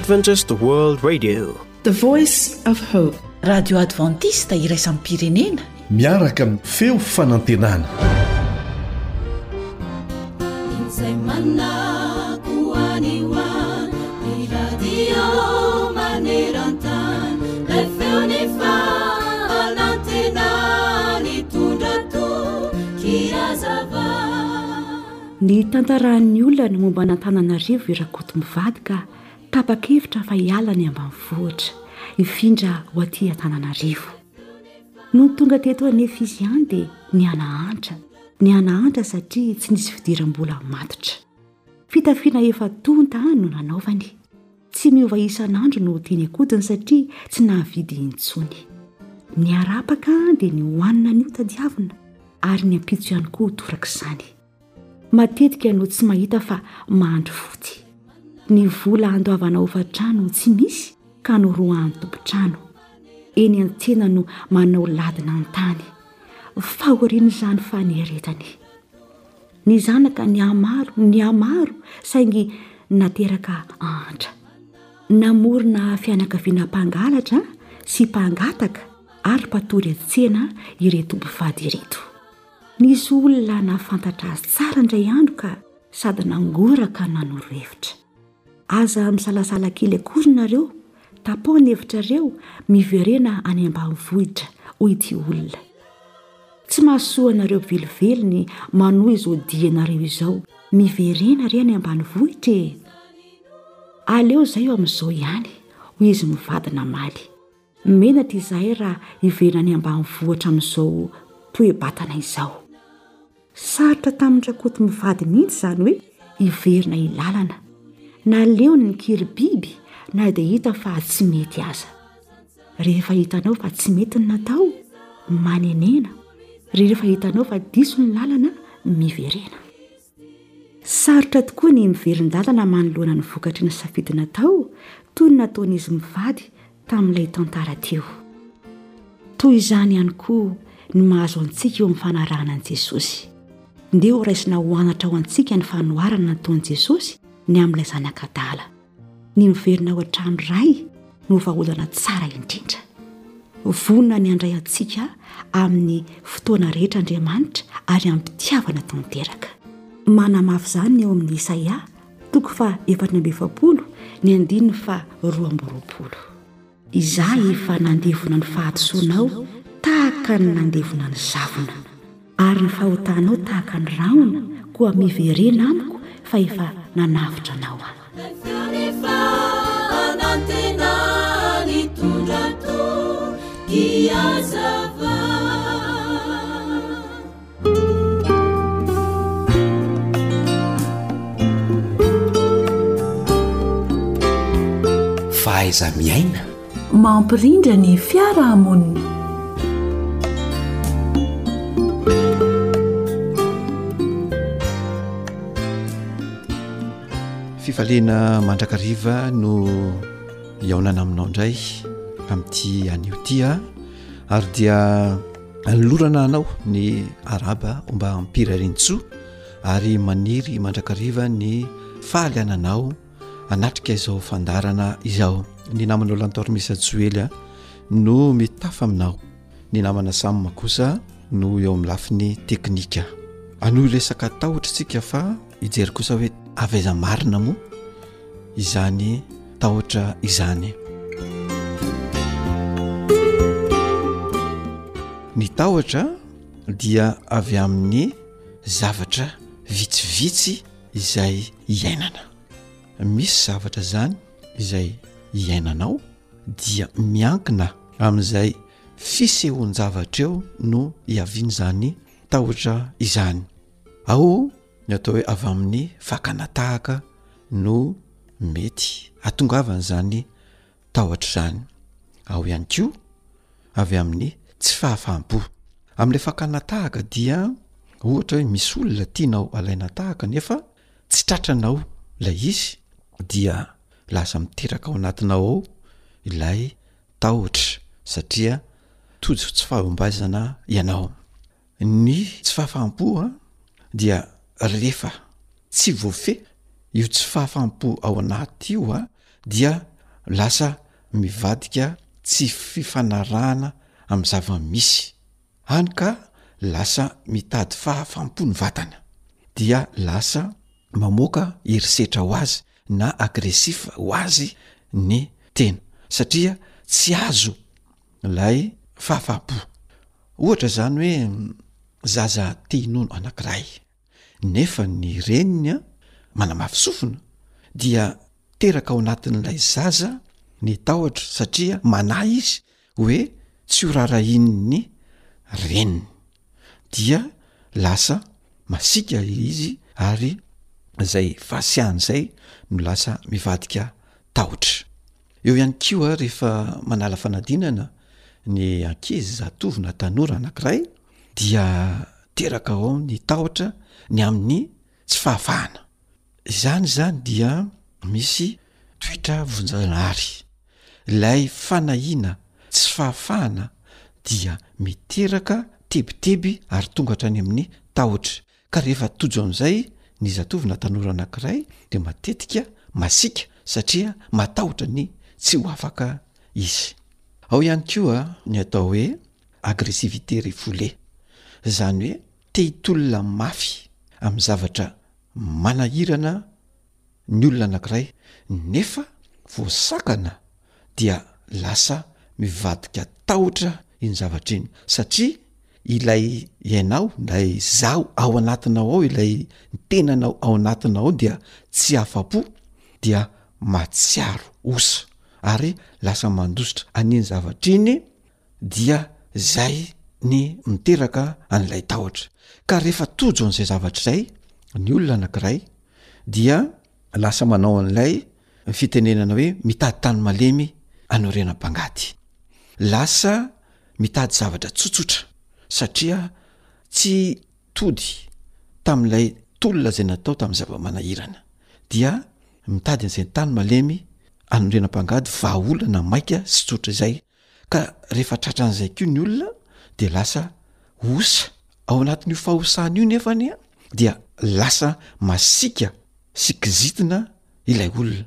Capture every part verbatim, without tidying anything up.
Adventist World Radio, The Voice of Hope. Radio Adventiste iraisam-pirenena. Miaraka amin'ny feo fanantenana. Izay manako any ho any, ny radio maneran-tany, ilay feon'ny fanantenana nitondra toky hazava. Ny tantaran'ny olona ny momba an'Antananarivo i Rakoto mivady ka tapa-kevitra fa hiala ny ambanivohitra, hifindra ho aty Antananarivo. Nony tonga teto anefa izy ihany dia nihanahantra, nihanahantra satria tsy nisy fidiram-bola matotra. Fitafiana efa tonta no nanaovany. Tsy miova isan'andro no teny an-kodiny satria tsy nahavidy intsony. Ny harapaka dia ny hohanina anio tadiavina ary ny ampitso ihany koa torak'izany. Matetika no tsy mahita fa mahandro fotsy. Ny vola andoavana hofan-trano tsy misy ka noroahan'ny tompon-trano. Eny an-tsena no manao ladina an-tany. Fahorian'izany faneretany. Ny zanaka nihamaro, nihamaro saingy nateraka antra. Namorona fianakaviana mpangalatra sy mpangataka ary mpatory an-tsena ireto mpivady ireto. Nisy olona nahafantatra azy tsara indray andro ka sady nangoraka nanoro hevitra. Aza misalasala kely akory nareo, tapaho ny hevitrareo, miverena any ambanivohitra, hoy ity olona. Tsy mahasoa anareo velively ny manohy izao dianareo izao, miverena re any ambanivohitra e. Aleo izay eo amin'izao ihany, hoy izy mivady namaly. Menatra izahay raha hiverina any ambanivohitra amin'izao toe-batana izao. Sarotra tamin-dRakoto mivady mihitsy izany hoe hiverina ilalana. Naleony ny kiribiby na dia hita fa tsy mety aza. Rehefa hitanao fa tsy mety ny natao, manenena. Rehefa hitanao fa diso ny lalana, miverena. Sarotra tokoa ny miverin-dalana manoloana ny vokatry ny safidy natao, toy ny nataon'izy mivady tamin'ilay tantara teo. Toy izany ihany koa ny mahazo antsika eo amin'ny fanarahana an'i Jesosy. Ndeha ho raisina ho anatra ho antsika ny fanoharana nataon'i Jesosy ny amin'ilay zanak'adala. Ny miverina ao an-trano ray no vahaolana tsara indrindra. Vonona ny handray antsika amin'ny fotoana rehetra Andriamanitra ary am-pitiavana tanteraka. Manamafy izany ny eo amin'ny Isaia, toko faha efatra amby efapolo, ny andininy faha roa amby roapolo. Izaho efa nandevona ny fahadisoanao tahaka ny nandevona ny zavona, ary ny fahotanao tahaka ny rahona, koa miverena amiko fa efa nanavotra anao aho. Feon'ny fanantenana nitondra toky hazava. Fahaiza-miaina. Mampirindra ny fiarahamonina. Fifaliana mandrakariva no hihaonana aminao indray amin'ity anio ity a, ary dia anolorana anao ny araba mba hampirarintsoa ary maniry mandrakariva ny fahaliananao anatrika izao fandaharana izao. Ny namanao Lantormisa Joely a no mitafa aminao, ny namana Sam kosa no eo amin'ny lafiny teknika. Hanohy resaka tahotra isika fa hijery kosa hoe avy aiza marina moa izany tahotra izany. Ny tahotra dia avy amin'ny zavatra vitsivitsy izay iainana. Misy zavatra izany izay iainanao dia miankina amin'izay fisehoan-javatra eo no hiavian'izany tahotra izany. Ao ny atao hoe avy amin'ny fakana tahaka no mety hatongavan'izany tahotra izany. Ao ihany koa avy amin'ny tsy fahafaham-po. Amin'ilay fakana tahaka dia ohatra hoe misy olona tianao alaina tahaka nefa tsy tratranao ilay izy dia lasa miteraka ao anatinao ao ilay tahotra satria tojo tsy fahombiazana ianao. Ny tsy fahafaham-po a dia rehefa tsy voafehy io tsy fahafaham-po ao anaty io a dia lasa mivadika tsy fifanarahana amin'ny zava-misy, hany ka lasa mitady fahafaham-po ny vatana, dia lasa mamoaka herisetra ho azy na agressif ho azy ny tena satria tsy azo ilay fahafaham-po. Ohatra izany hoe zaza te hinono anankiray nefa ny reniny a manamafy sofina dia teraka ao anatin'ilay zaza ny tahotra satria manahy izy hoe tsy ho rarahian'ny reniny, dia lasa masiaka izy ary zay fahasiahana izay no lasa mivadika tahotra. Eo ihany koa rehefa manala fanadinana ny ankizy, zatovo na tanora anankiray dia teraka ao ny tahotra ny amin'ny tsy fahafahana. Izany zany dia misy toetra vonjanahary. Ilay fanahiana tsy fahafahana dia miteraka tebiteby ary tonga hatrany amin'ny tahotra. Ka rehefa tojo amin'izay ny zatovo na tanora anankiray dia matetika masiaka satria matahotra ny tsy ho afaka izy. Ao ihany koa ny atao hoe agressivité refoulée, izany hoe te hitolona mafy amin'ny zavatra manahirana ny olona anankiray nefa voasakana dia lasa mivadika tahotra iny zavatra iny satria ilay ianao, ilay zaho ao anatinao ao, ilay tenanao ao anatinao ao dia tsy afa-po, dia mahatsiaro osa ary lasa mandositra an'iny zavatra iny, dia zay ny miteraka an'ilay tahotra. Ka rehefa tojo an'izay zavatra izay ny olona anankiray dia lasa manao an'ilay fitenenana hoe mitady tany malemy anorenam-pangady, lasa mitady zavatra tsotsotra satria tsy tody tamin'ilay tolona izay natao tamin'ny zava-manahirana, dia mitady an'izay tany malemy anorenam-pangady, vahaolana maika sy tsotra izay. Ka rehefa tratran'izay koa ny olona dia lasa osa. Ao anatin'io fahosana io nefa anie dia lasa masiaka sy kizitina ilay olona,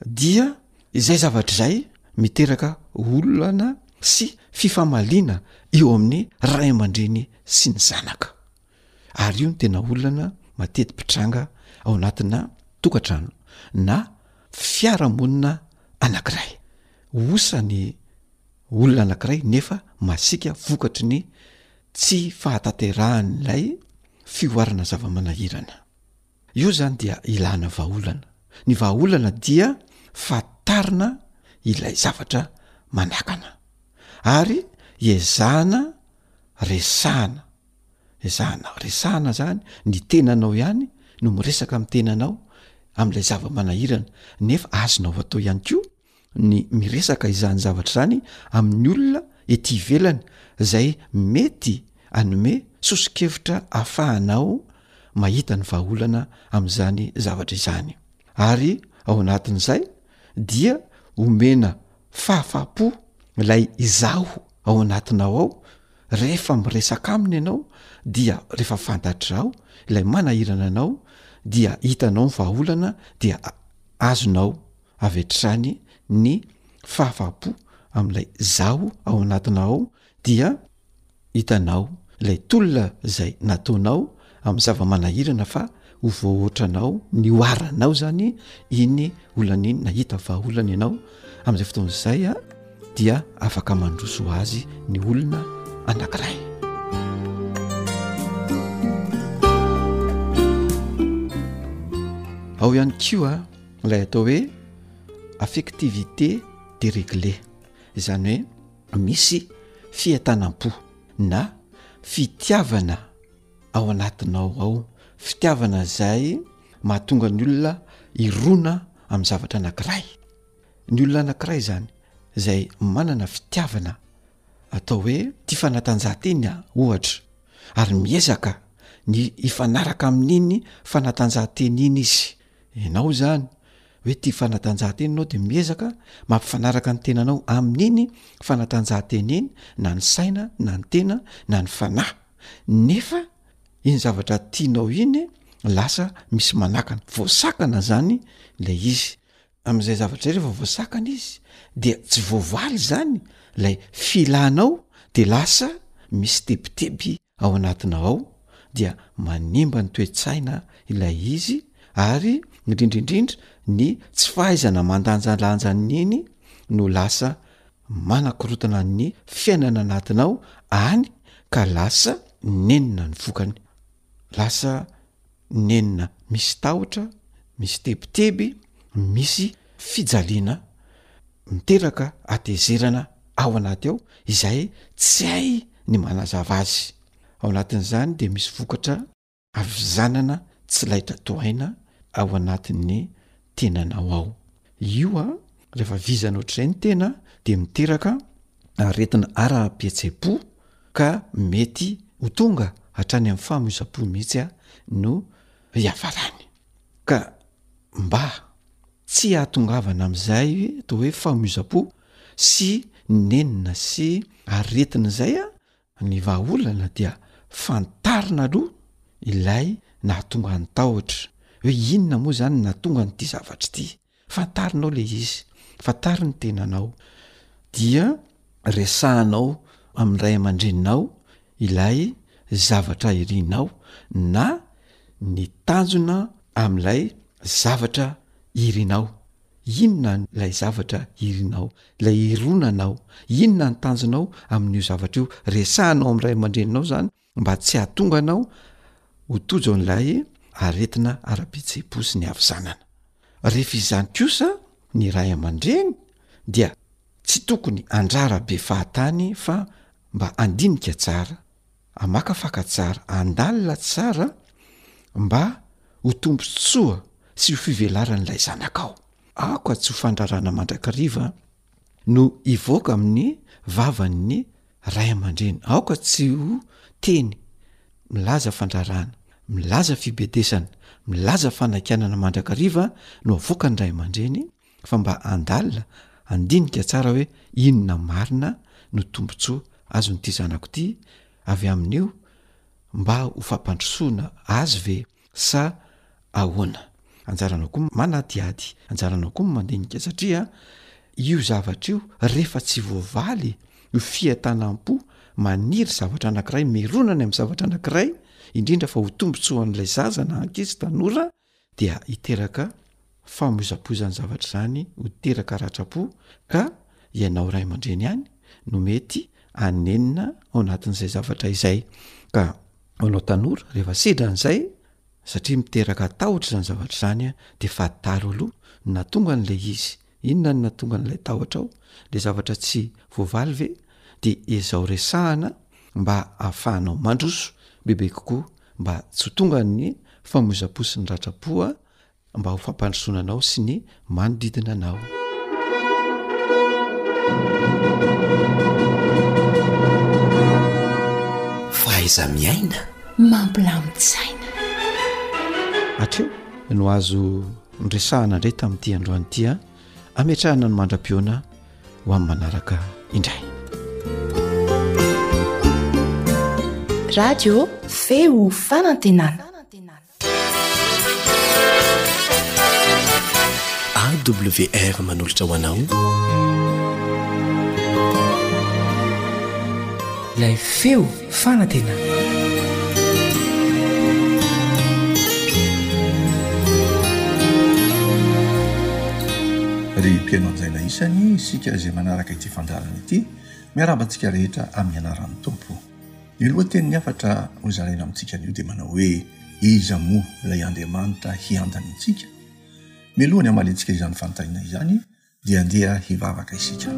dia izay zavatra izay miteraka olana sy fifamaliana eo amin'ny ray aman-dreny sy ny zanaka. Ary io no tena olana mateti-pitranga ao anatina tokantrano na fiarahamonina anankiray. Osa ny olona anankiray nefa masiaka vokatry ny tsy fahatanterahan'ilay fihoarana zava-manahirana. Io zany dia ilana vahaolana. Ny vahaolana dia fantarina ilay zavatra manakana ary ezahana resahana, ezahana resahana zany ny tenanao ihany no miresaka amin'ny tenanao amin'ilay zava-manahirana, nefa azonao atao ihany koa ny miresaka izany zavatra izany amin'ny olona ety ivelany izay mety hanome soso-kevitra ahafahanao mahita ny vahaolana amin'izany zavatra izany. Ary ao anatin'izay dia omena fahafahampo ilay izaho ao anatinao ao. Rehefa miresaka aminy ianao dia rehefa fantatrao ilay manahirana anao dia hitanao ny vahaolana, dia azonao avy hatrany ny fahafahampo amin'ilay zaho ao anatinao ao, dia hitanao ilay tolona izay nataonao amin'ny zava-manahirana fa ho voahoatranao, nihoaranao zany iny olana iny, nahita vahaolana ianao. Amin'izay fotoana izay a dia afaka mandroso ho azy ny olona anankiray. Ao ihany koa ilay atao hoe affectivité déréglée, izany hoe misy fientanam-po na fitiavana ao anatinao ao, fitiavana izay mahatonga ny olona hirona amin'ny zavatra anankiray. Ny olona anankiray izany izay manana fitiavana atao hoe tia fanatanjahantena ohatra, ary miezaka ny hifanaraka amin'iny fanatanjahantena iny izy. Ianao izany hoe tia fanatanjahantena ianao dia miezaka mampifanaraka ny tenanao amin'iny fanatanjahantena iny, na ny saina na ny tena na ny fanahy, nefa iny zavatra tianao iny lasa misy manakana, voasakana zany ilay izy. Amin'izay zavatra izay rehefa voasakana izy dia tsy voavaly izany ilay filanao de lasa misy tebiteby ao anatinao ao dia manimba ny toe-tsaina ilay izy ary indrindra indrindra ny tsy fahaizana mandanjalanja an'iny no lasa manakorotana ny fiainana anatinao any ka lasa nenina ny vokany, lasa nenina misy tahotra, misy tebiteby, misy fijaliana miteraka hatezerana ao anaty ao izay tsy hay ny manazava azy. Ao anatin'izany de misy vokatra havizanana tsy laitra tohaina ao anatin'ny tenanao ao. Io a, rehefa vizana ohatr'izay ny tena de miteraka aretina ara-pihetseham-po ka mety ho tonga hatrany amin'ny famoizam-po mihitsy a no hiafarany. Ka mba tsy hahatongavana amin'izay atao hoe famoizam-po sy nenina sy aretina izay a, ny vahaolana dia fantarina aloha ilay nahatonga ny tahotra, hoe inona moa zany no nahatonga an'ity zavatra ity. Fantarinao le izy, fantaro ny tenanao, dia resahanao amin'ny ray aman-dreninao ilay zavatra irinao na ny tanjona amin'ilay zavatra irinao. Inona ilay zavatra irinao, ilay ironanao, inona ny tanjonao amin'io zavatra io? Resahanao amin'ny ray aman-dreninao zany mba tsy hahatonga anao ho tojo an'ilay aretina ara-pihetseham-po sy ny havizanana. Rehefa izany kosa ny ray aman-dreny dia tsy tokony handrara be fahatany fa mba handinika tsara, hamakafaka tsara, handalina tsara mba ho tombontsoa sy ho fivelaran'ilay zanakao. Aoka tsy ho fandrarana mandrakariva no hivoaka amin'ny vavan'ny ray aman-dreny. Aoka tsy ho teny milaza fandrarana, milaza fibedesana, milaza fanakianana mandrakariva no avoakan'ny ray aman-dreny fa mba handalina, handinika tsara hoe inona marina no tombontsoa azon'ity zanako ity avy amin'io mba ho fampandrosoana azy ve sa ahoana? Anjaranao koa manadihady, anjaranao koa mandinika satria io zavatra io rehefa tsy voavaly io fientanam-po maniry zavatra anankiray, mirona any amin'ny zavatra anankiray, indrindra fa ho tombontsoan'ilay zaza na ankizy, tanora dia hiteraka famoizam-po izany zavatra izany, ho teraka ratram-po ka ianao ray aman-dreny ihany no mety hanenina ao anatin'izay zavatra izay. Ka ho anao tanora rehefa sedra an'izay satria miteraka tahotra izany zavatra izany a, de fantaro aloha ny nahatonga an'ilay izy, inona no nahatonga an'ilay tahotra ao, le zavatra tsy voavaly ve, de ezao resahana mba ahafahanao mandroso bebe kokoa mba tsy ho tonga ny famoizam-po sy ny ratram-po a, mba ho fampandrosoana anao sy ny manodidina anao. Fahaiza-miaina mampilamin-tsaina. Hatreo no azo noresahana indray tamin'ity androany ity a, ametrahana ny mandra-pihaona ho amin'ny manaraka indray. Radio Feo Fanantenana. A W R manolotra ho anao. Ilay feo fanantenana. Ry mpihaino anjaina isany, isika izay manaraka ity fandaharana ity, miarahaba antsika rehetra amin'ny anaran'ny Tompo. Ny lohatenin'ny hafatra hozaraina amintsika anio dia manao hoe Iza moa ilay Andriamanitra hiandany antsika? Mialoha ny hamaliantsika izany fanontaniana izany dia andeha hivavaka isika.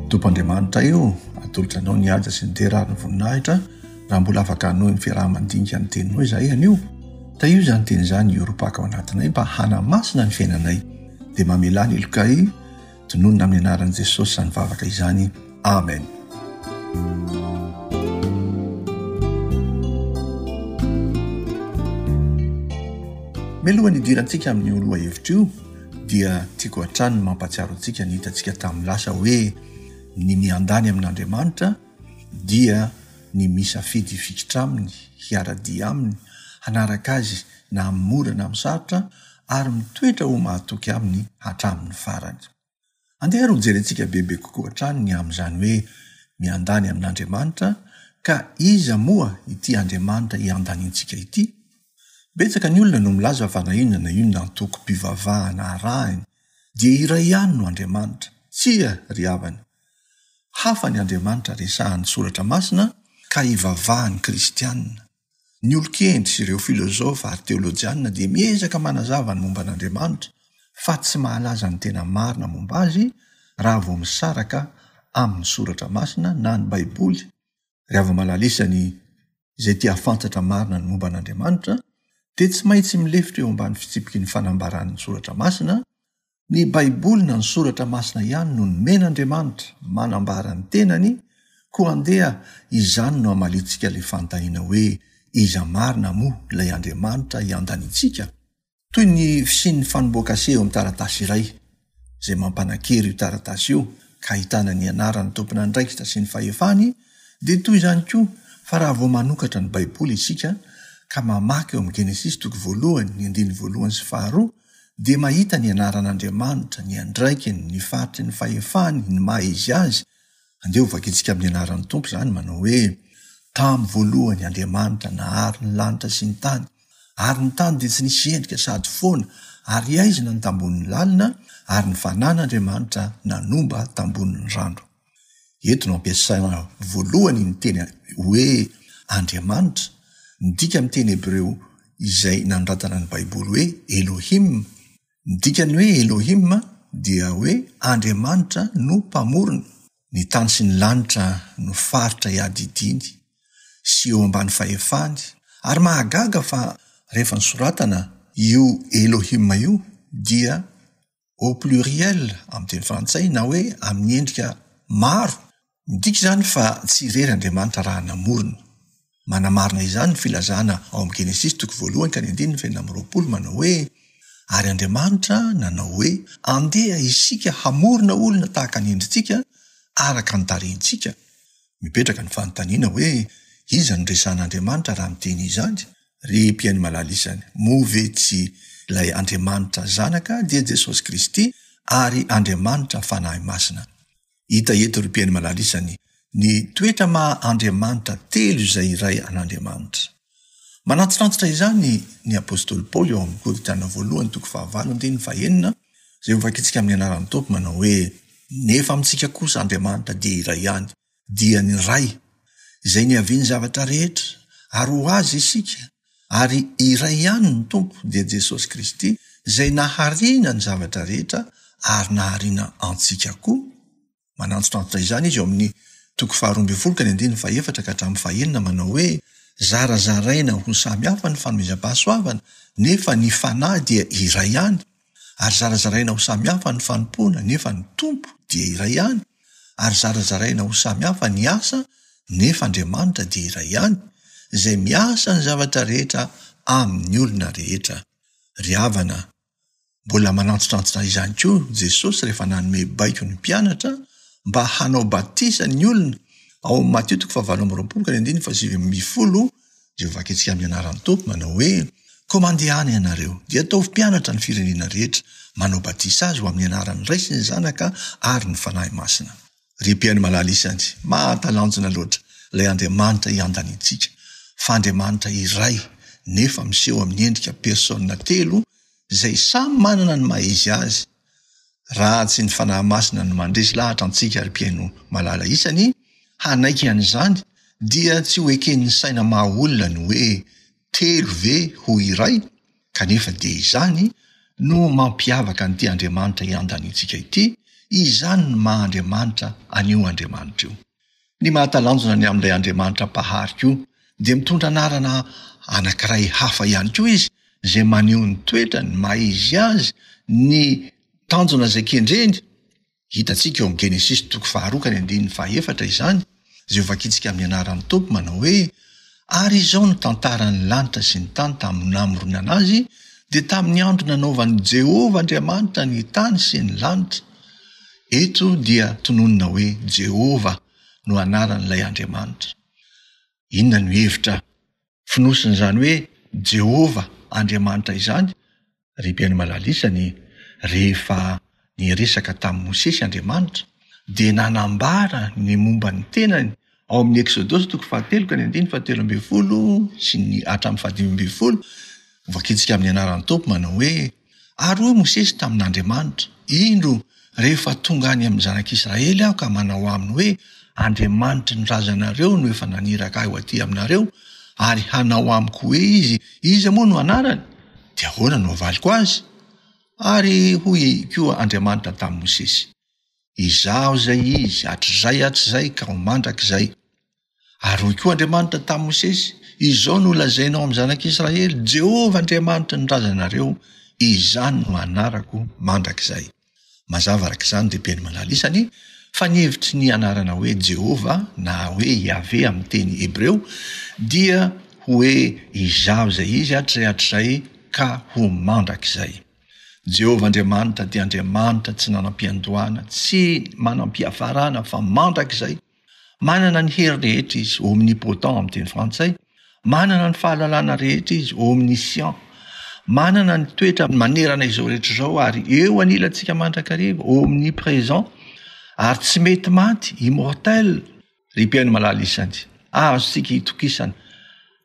Tompo Andriamanitra o, atolotra Anao ny haja sy ny dera ary ny voninahitra raha mbola afaka hanohy ny fiaraha-mandinika ny Teninao izahay anio. Tahio izany Teny izany hiorim-paka ao anatinay mba hanamasina ny fiainanay. Dia mamelà ny helokay, tononina amin'ny anaran'i Jesosy izany vavaka izany. Amen. Mialohan'ny hidirantsika amin'io lohahevitra io dia tiako hatrany ny mampahatsiaro antsika ny hitantsika tamin'ny lasa hoe ny miandany amin'Andriamanitra dia ny misafidy hifikitra aminy, hiara-dia aminy, hanaraka azy na amin'ny mora na amin'ny sarotra, ary mitoetra ho mahatoky aminy hatramin'ny farany. Andeha ary hojerentsika bebe kokoa hatrany ny amin'izany hoe miandany amin'Andriamanitra, ka iza moa ity Andriamanitra iandanintsika ity? Betsaka ny olona no milaza fa na inona na inona antokom-pivavahana arahiny dia iray ihany no Andriamanitra. Tsia, ry havana. Hafa ny Andriamanitra resahan'ny Soratra Masina ka ivavahan'ny Kristianina. Ny olon-kendry sy ireo filôzôfa ary teôlôjianina dia miezaka manazava ny momba an'Andriamanitra, fa tsy mahalaza ny tena marina momba azy raha vao misaraka amin'ny Soratra Masina na ny Baiboly. Ry hava-malala isany izay te hahafantatra marina ny momba an'Andriamanitra dia tsy maintsy milefitra eo ambany fitsipiky ny fanambaran'ny Soratra Masina. Ny Baiboly na ny Soratra Masina ihany no nomen'Andriamanitra manambara ny tenany, koa andeha izany no hamaliantsika ilay fanontaniana hoe iza marina moa ilay Andriamanitra iandanintsika? Toy ny fisian'ny fanombohan-kase eo amin'ny taratasy iray, izay mampanan-kery io taratasy io ka ahitana ny anaran'ny tompon'andraikitra sy ny fahefany, dia toy izany koa fa raha vao manokatra ny Baiboly isika ka mamaky eo amin'ny Genesisy toko voalohany, ny andininy voalohany sy faharoa, dia mahita ny anaran'Andriamanitra, ny andraikiny, ny faritry ny fahefany, ny maha izy azy. Andeha ho vakintsika amin'ny anaran'ny Tompo izany, manao hoe, Tamin'ny voalohany Andriamanitra nahary ny lanitra sy ny tany, ary ny tany dia tsy nisy endrika sady foana, ary haizina ny tambonin'ny lalina, ary ny fanan'Andriamanitra nanomba tambonin'ny rano. Eto no ampiasaina voalohany ny teny hoe Andriamanitra, midika amin'ny teny hebreo izay nanoratana ny Baiboly hoe Elohim. Ny dikan'ny hoe Elohim dia hoe Andriamanitra no Mpamorona. Ny tany sy ny lanitra no faritra iadidiany sy eo ambany fahefany, ary mahagaga fa rehefa nosoratana io Elohim io dia au pluriel amin'ny teny frantsay na hoe amin'ny endrika maro. Midika izany fa tsy irery Andriamanitra raha namorona. Manamarina izany ny filazana ao amin'ny Genesisy toko voalohany ka ny andininy fahenina amby roapolo manao hoe, Ary Andriamanitra nanao hoe, Andeha isika hamorona olona tahaka ny endritsika, araka ny tarehintsika. Mipetraka ny fanontaniana hoe, Iza no resahan'Andriamanitra raha miteny izany? Ry mpihaino malala isany, moa ve tsy ilay Andriamanitra Zanaka dia Jesosy Kristy ary Andriamanitra Fanahy Masina? Hita eto ry mpihaino malala isany ny toetra maha Andriamanitra telo izay iray an'Andriamanitra. Manantitrantitra izany ny apostoly Paoly ao amin'ny Korintiana voalohany toko fahavalo andininy fahenina izay hovakintsika amin'ny anaran'ny Tompo manao hoe, Nefa amintsika kosa Andriamanitra dia iray ihany, dia ny Ray, izay niavian'ny zavatra rehetra, ary ho Azy isika, ary iray ihany ny Tompo, dia Jesosy Kristy, izay nahariana ny zavatra rehetra ary nahariana antsika koa. Manantitrantitra izany izy eo amin'ny toko faharoa ambin'ny folo ka ny andininy fahefatra ka hatramin'ny fahenina manao hoe, Zarazaraina ho samy hafa ny fanomezam-pahasoavana, nefa ny Fanahy dia iray ihany, ary zarazaraina ho samy hafa ny fanompoana, nefa ny Tompo dia iray ihany, ary zarazaraina ho samy hafa ny asa, nefa Andriamanitra dia iray ihany, izay miasa ny zavatra rehetra amin'ny olona rehetra. Ry havana, mbola manantitrantitra izany koa Jesosy rehefa nanome baiko ny mpianatra mba hanao batisa ny olona ao amin'ny Matio toko fahavalo amby roapolo ka ny andininy fahasivy ambin'ny folo, izay hovakintsika amin'ny anaran'ny Tompo, manao hoe, Koa mandehana ianareo, dia ataovy mpianatra ny firenena rehetra, manao batisa azy ho amin'ny anaran'ny Ray sy ny Zanaka ary ny Fanahy Masina. Ry mpihaino malala isany, mahatalanjona loatra ilay Andriamanitra iandanintsika, fa Andriamanitra iray nefa miseho amin'ny endrika persona telo izay samy manana ny maha izy azy. Raha tsy ny Fanahy Masina no mandresy lahatra antsika ry mpihaino malala isany hanaiky an'izany dia tsy ho eken'ny saina maha olona ny hoe telo ve ho iray, kanefa dia izany no mampiavaka an'ity Andriamanitra iandanintsika ity, izany no maha Andriamanitra an'io Andriamanitra io. Ny mahatalanjona ny amin'ilay Andriamanitra Mpahary koa dia mitondra anarana anankiray hafa ihany koa izy izay maneho ny toetrany, ny maha izy azy, ny tanjona izay kendreny. Hitantsika eo amin'ny Genesisy toko faharoa ka ny andininy fahaefatra izany, izay hovakintsika amin'ny anaran'ny Tompo manao hoe, Ary izao no tantaran'ny lanitra sy ny tany tamin'ny namoronana azy, dia tamin'ny andro nanaovan'i Jehovah Andriamanitra ny tany sy ny lanitra. Eto dia tononina hoe Jehovah no anaran'ilay Andriamanitra. Inona no hevitra fonosin'izany hoe Jehovah Andriamanitra izany? Ry mpihaino malala isany, rehefa niresaka tamin'i Mosesy Andriamanitra, dia nanambara ny momba ny tenany ao amin'ny Eksodosy toko fahatelo ka ny andininy fahatelo ambin'ny folo sy ny hatramin'ny fahadimy ambin'ny folo. Hovakintsika amin'ny anaran'ny Tompo manao hoe, Ary hoy Mosesy tamin'Andriamanitra, Indro, rehefa tonga any amin'ny zanak'Israely aho ka manao aminy hoe, Andriamanitry ny razanareo no efa naniraka ahy ho aty aminareo, ary hanao amiko hoe izy, Iza moa no anarany? Dia ahoana no havaliko azy? Ary hoy koa Andriamanitra tamin'i Mosesy, Izaho izay Izy, hatrizay hatrizay ka ho mandrakizay. Ary hoy koa Andriamanitra tamin'i Mosesy, Izao no holazainao amin'ny zanak'Israely, Jehovah Andriamanitry ny razanareo, izany no anarako mandrakizay. Mazava araka izany ry Beny Malala isany fa ny hevitry ny anarana hoe Jehovah na hoe Yahveh amin'ny teny hebreo dia hoe Izaho izay Izy hatrizay hatrizay ka ho mandrakizay. Jehovah Andriamanitra dia Andriamanitra tsy nanam-piandohana, tsy manam-piafarana fa mandrakizay. Manana ny hery rehetra izy, omnipotent amin'ny teny frantsay, manana ny fahalalana rehetra izy, omniscient, manana ny toetra manerana izao rehetra izao ary eo anilantsika mandrakariva, omnipresent, ary tsy mety maty, immortel. Ry mpihaino malala isany, azontsika itokisana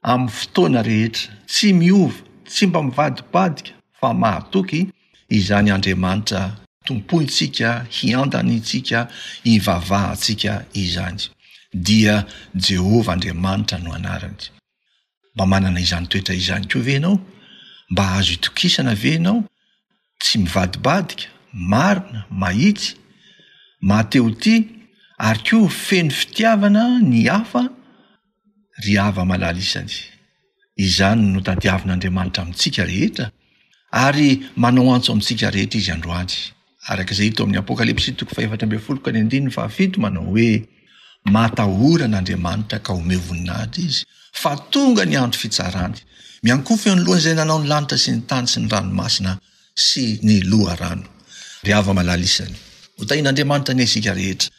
amin'ny fotoana rehetra, tsy miova, tsy mba mivadibadika fa mahatoky izany Andriamanitra tompointsika, hiandanintsika, hivavahantsika izany. Dia Jehovah Andriamanitra no anarany. Mba manana izany toetra izany koa ve ianao? Mba azo itokisana ve ianao? Tsy mivadibadika, marina, mahitsy, mahatehotia, ary koa feno fitiavana ny hafa? Ry hava-malala isany, izany no tadiavin'Andriamanitra amintsika rehetra, ary manao antso amintsika rehetra Izy androany. Araka izay hita ao amin'ny Apokalypsy toko fahefatra ambin'ny folo ka ny andininy fahafito manao hoe, Matahora an'Andriamanitra ka omeo voninahitra Izy, fa tonga ny andro fitsarany. Miankohofa eo anoloan'izay nanao ny lanitra sy ny tany sy ny ranomasina sy ny loharano. Ry hava-malala isany, hotahian'Andriamanitra anie isika rehetra,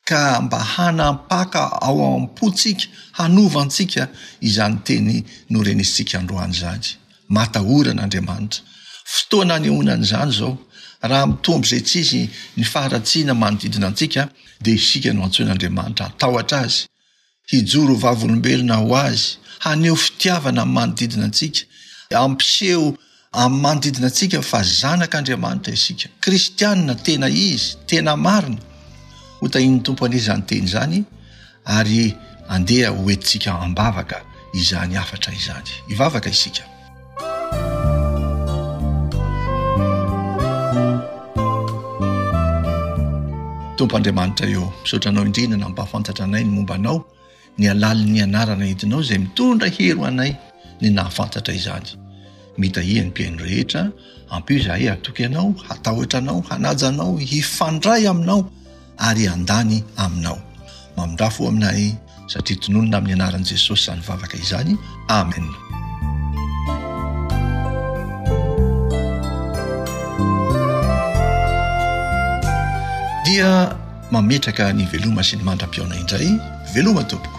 ka mba hanampaka ao am-pontsika, hanova antsika izany teny norenesintsika androany izany. Matahora an'Andriamanitra. Fotoana anehoana an'izany izao. Raha mitombo izay tsy izy ny faharatsiana manodidina antsika, dia isika no antsoin'Andriamanitra hatahotra Azy, hijoro ho vavolombelona ho Azy, haneho fitiavana amin'ny manodidina antsika, hampiseho amin'ny manodidina antsika fa zanak'Andriamanitra isika, kristianina tena izy, tena marina. Ho tahian'ny Tompo anie izany teny izany ary andeha ho entintsika am-bavaka izany hafatra izany. Hivavaka isika. Tompo Andriamanitra eo, misaotra Anao indrindra nampahafantatra anay ny momba Anao, ny halalin'ny anarana entinao izay mitondra hery ho anay ny nahafantatra izany. Mitahia ny mpihaino rehetra, ampio izahay hatoky Anao, hatahotra Anao, hanaja Anao, hifandray Aminao ary handany Aminao. Mamindrà fo aminay satria tononina amin'ny anaran'i Jesosy izany vavaka izany. Amen. Dia mametraka ny veloma sy ny mandra-pihaona indray. Veloma tompoko.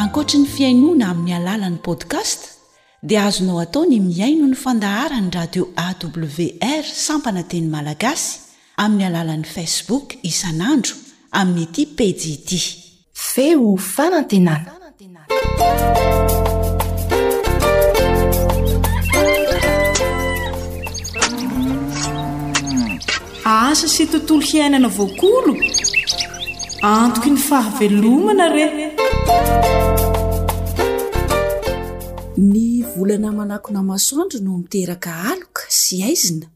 Ankoatry ny fihainoana amin'ny alalan'ny podcast dia azonao atao ny mihaino ny fandaharan'ny radio A W R sampana teny malagasy amin'ny alalan'ny Facebook isan'andro amin'ity pejy ity. Feo fanantenana. Asa sy tontolo hiainana voakolo? Antoky ny fahavelomana re! Ny volana manakona masoandro no miteraka aloka sy haizina,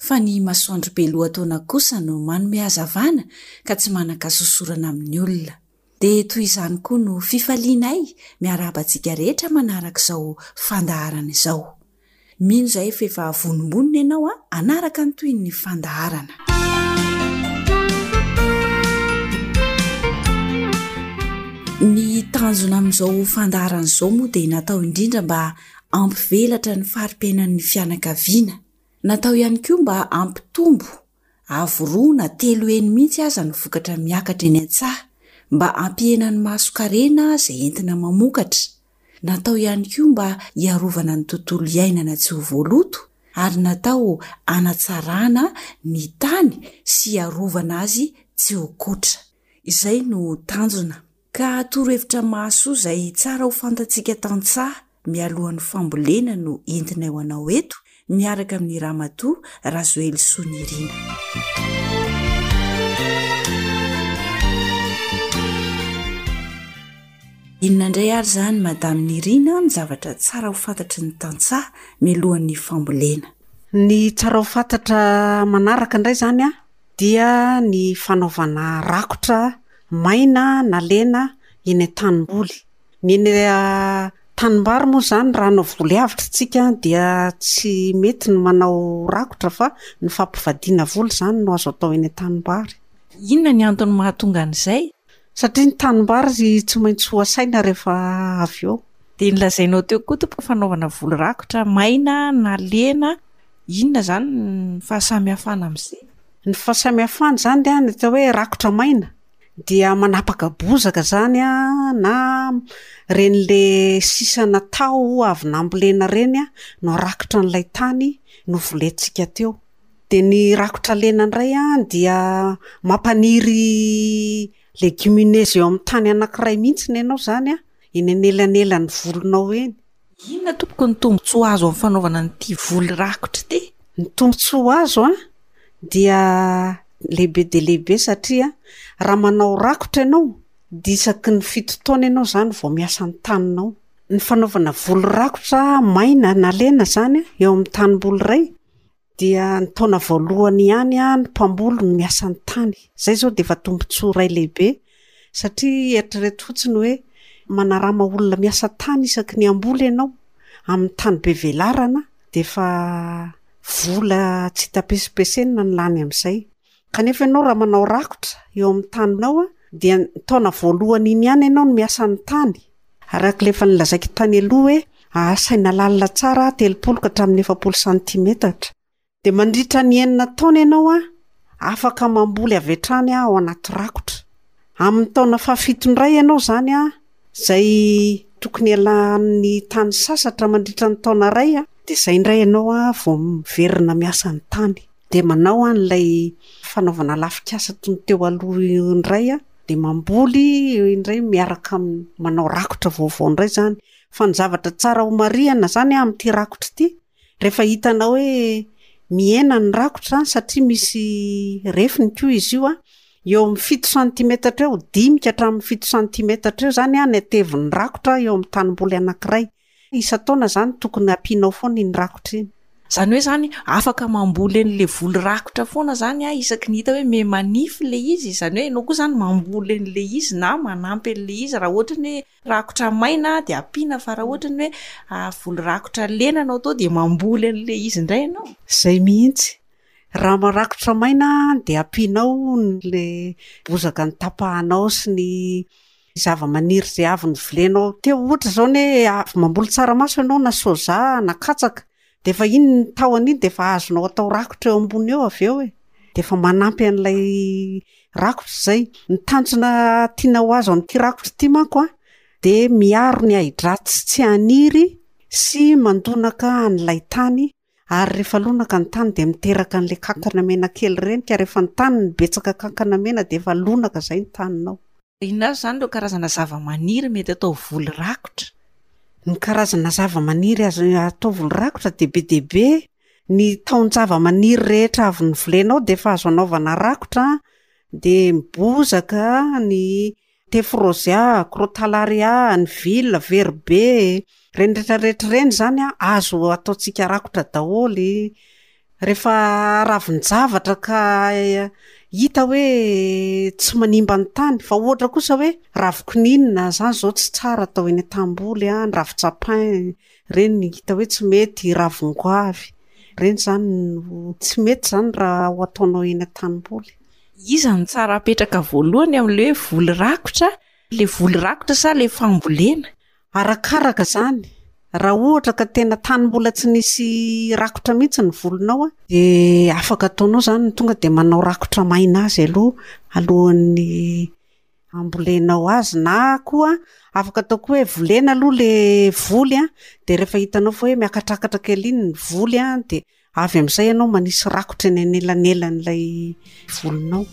fa ny masoandro be lohataona kosa no manome hazavana ka tsy manan-kasosorana amin'ny olona. Dia toy izany koa no fifalianay miarahaba antsika rehetra manaraka izao fandaharana izao. Mino izahay fa efa vonombonona ianao hanaraka ny tohin'ny fandaharana. Ny tanjona amin'izao fandaharana izao moa dia natao indrindra mba hampivelatra ny fari-piainan'ny fianakaviana. Natao ihany koa mba hampitombo Avo roa na telo heny mihitsy aza ny vokatra miakatra eny an-tsaha mba hampihena ny mason-karena izay entina mamokatra. Natao ihany koa mba hiarovana ny tontolo iainana tsy ho voaloto ary natao hanatsarana ny tany sy hiarovana azy tsy ho kotra. Izay no tanjona. Ka torohevitra mahasoa izay tsara ho fantatsika tantsaha mialohan'ny fambolena no entinay ho anao eto miaraka amin'ny Ramatoa Razoelisoa Nirina. Inona indray ary izany Madame Nirina ny zavatra tsara ho fantatry ny tantsaha mialohan'ny fambolena? Ny tsara ho fantatra manaraka indray izany an, dia ny fanaovana rakotra maina na lena eny an-tanimboly. Ny eny an-tanimbary moa izany raha hanao voly avotra isika dia tsy mety ny manao rakotra fa ny fampivadiana voly izany no azo atao eny an-tanimbary. Inona ny antony mahatonga an'izay? Satria ny tanimbary tsy maintsy ho asaina rehefa avy eo. Dia nolazainao teo koa tompoko fanaovana voly rakotra maina na lena, inona izany ny fahasamihafana amin'izay? Ny fahasamihafana izany dia ny atao hoe rakotra maina dia manapaka bozaka izany an, na ireny le sisana taho avy nambolena ireny an no arakotra an'ilay tany novolentsika teo. Dia ny rakotra lena indray an dia mampaniry légumineuse eo amin'ny tany anankiray mihitsy ianao izany an, eny anelanelan'ny volonao eny. Inona tompoko ny tombontsoa azo amin'ny fanaovana an'ity voly rakotra ity? Ny tombontsoa azo an dia lehibe dia lehibe satria raha manao rakotra ianao dia isaky ny fito taona ianao izany vao miasa ny taninao. Ny fanaovana voly rakotra maina na lena izany eo amin'ny tanimboly iray dia ny taona voalohany ihany ny mpamboly no miasa ny tany. Izay izao dia efa tombontsoa iray lehibe satria eritrereto fotsiny hoe manarama olona miasa tany isaky ny hamboly ianao amin'ny tany be velarana dia efa vola tsy hita pesipesenina ny lany amin'izay. Kanefa ianao raha manao rakotra eo amin'ny taninao a, dia ny taona voalohany iny ihany ianao no miasa ny tany. Araka ilay efa nolazaiko tany aloha hoe ahasaina lalina tsara telopolo ka hatramin'ny efapolo santimetatra. Dia mandritra ny enina taona ianao a, afaka mamboly avy hatrany ao anaty rakotra. Amin'ny taona fahafito indray ianao izany a, izay tokony hialan'ny tany sasatra mandritra ny taona iray a, dia izay indray ianao a vao miverina miasa ny tany. Dia manao an'ilay fanaovana lafikasa toy ny teo aloha indray a, dia mamboly indray miaraka amin'ny manao rakotra vaovao indray izany. Fa ny zavatra tsara ho marihana izany amin'ity rakotra ity, rehefa hitanao hoe mihena ny rakotra satria misy refiny koa izy io a, eo amin'ny fito santimetatra eo, dimy ka hatramin'ny fito santimetatra eo izany a ny hatevin'ny rakotra eo amin'ny tanimboly anankiray. Isan-taona izany tokony ampianao foana iny rakotra iny. Izany hoe izany afaka mamboly an'ilay voly rakotra foana izany a, isaky ny hita hoe miha manify ilay izy, izany hoe ianao koa izany mamboly an'ilay izy na manampy an'ilay izy raha ohatra ny hoe rakotra maina dia ampiana, fa raha ohatra ny hoe voly rakotra lena no atao dia mamboly an'ilay izy indray ianao. Izay mihitsy. Raha marakotra maina dia ampianao ilay bozaka notapahanao sy ny zava-maniry izay avy novolenao teo. Ohatra izao ny hoe avy mamboly tsaramaso ianao na soja na katsaka, dia efa iny ny tahony iny dia efa azonao atao rakotra eo ambony eo avy eo e. Dia efa manampy an'ilay rakotra izay. Ny tanjona tiana ho azo amin'ity rakotra ity manko a, dia miaro ny ahidratsy tsy haniry sy mandonaka an'ilay tany, ary rehefa lonaka ny tany dia miteraka an'ilay kankana mena kely ireny, ka rehefa ny tany no betsaka kankana mena dia efa lonaka izay ny taninao. Inona avy izany ireo karazana zava-maniry mety atao voly rakotra? Ny karazana zava-maniry azo atao voly rakotra dia be dia be. Ny taon-java-maniry rehetra avy novolenao dia efa azo anaovana rakotra, dia ny bozaka, ny tefrozia, crotalaria, ny vila, veribe, ireny rehetrarehetra ireny izany a, azo ataontsika rakotra daholo. Rehefa ravin-javatra ka hita hoe tsy manimba ny tany, fa ohatra kosa hoe ravin-kininina izany izao tsy tsara atao eny an-tanimboly a, ny ravin-tsapin ireny hita hoe tsy mety, ravin-goavy ireny izany no tsy mety izany raha ho ataonao eny an-tanimboly. Iza no tsara apetraka voalohany amin'ilay hoe voly rakotra, ilay voly rakotra sa ilay fambolena? Arakaraka izany, Raha ohatra ka tena tany mbola tsy nisy rakotra mihitsy ny volinao a, de afaka ataonao zany ny tonga de manao rakotra maina azy aloha alohan'ny ambolenao azy, na koa afaka atao koa hoe volena aloha le voly a, de rehefa hitanao fa hoe miakatrakatra kely iny ny voly a, de avy amin'izay ianao manisy rakotra eny anelanelan'ilay volinao.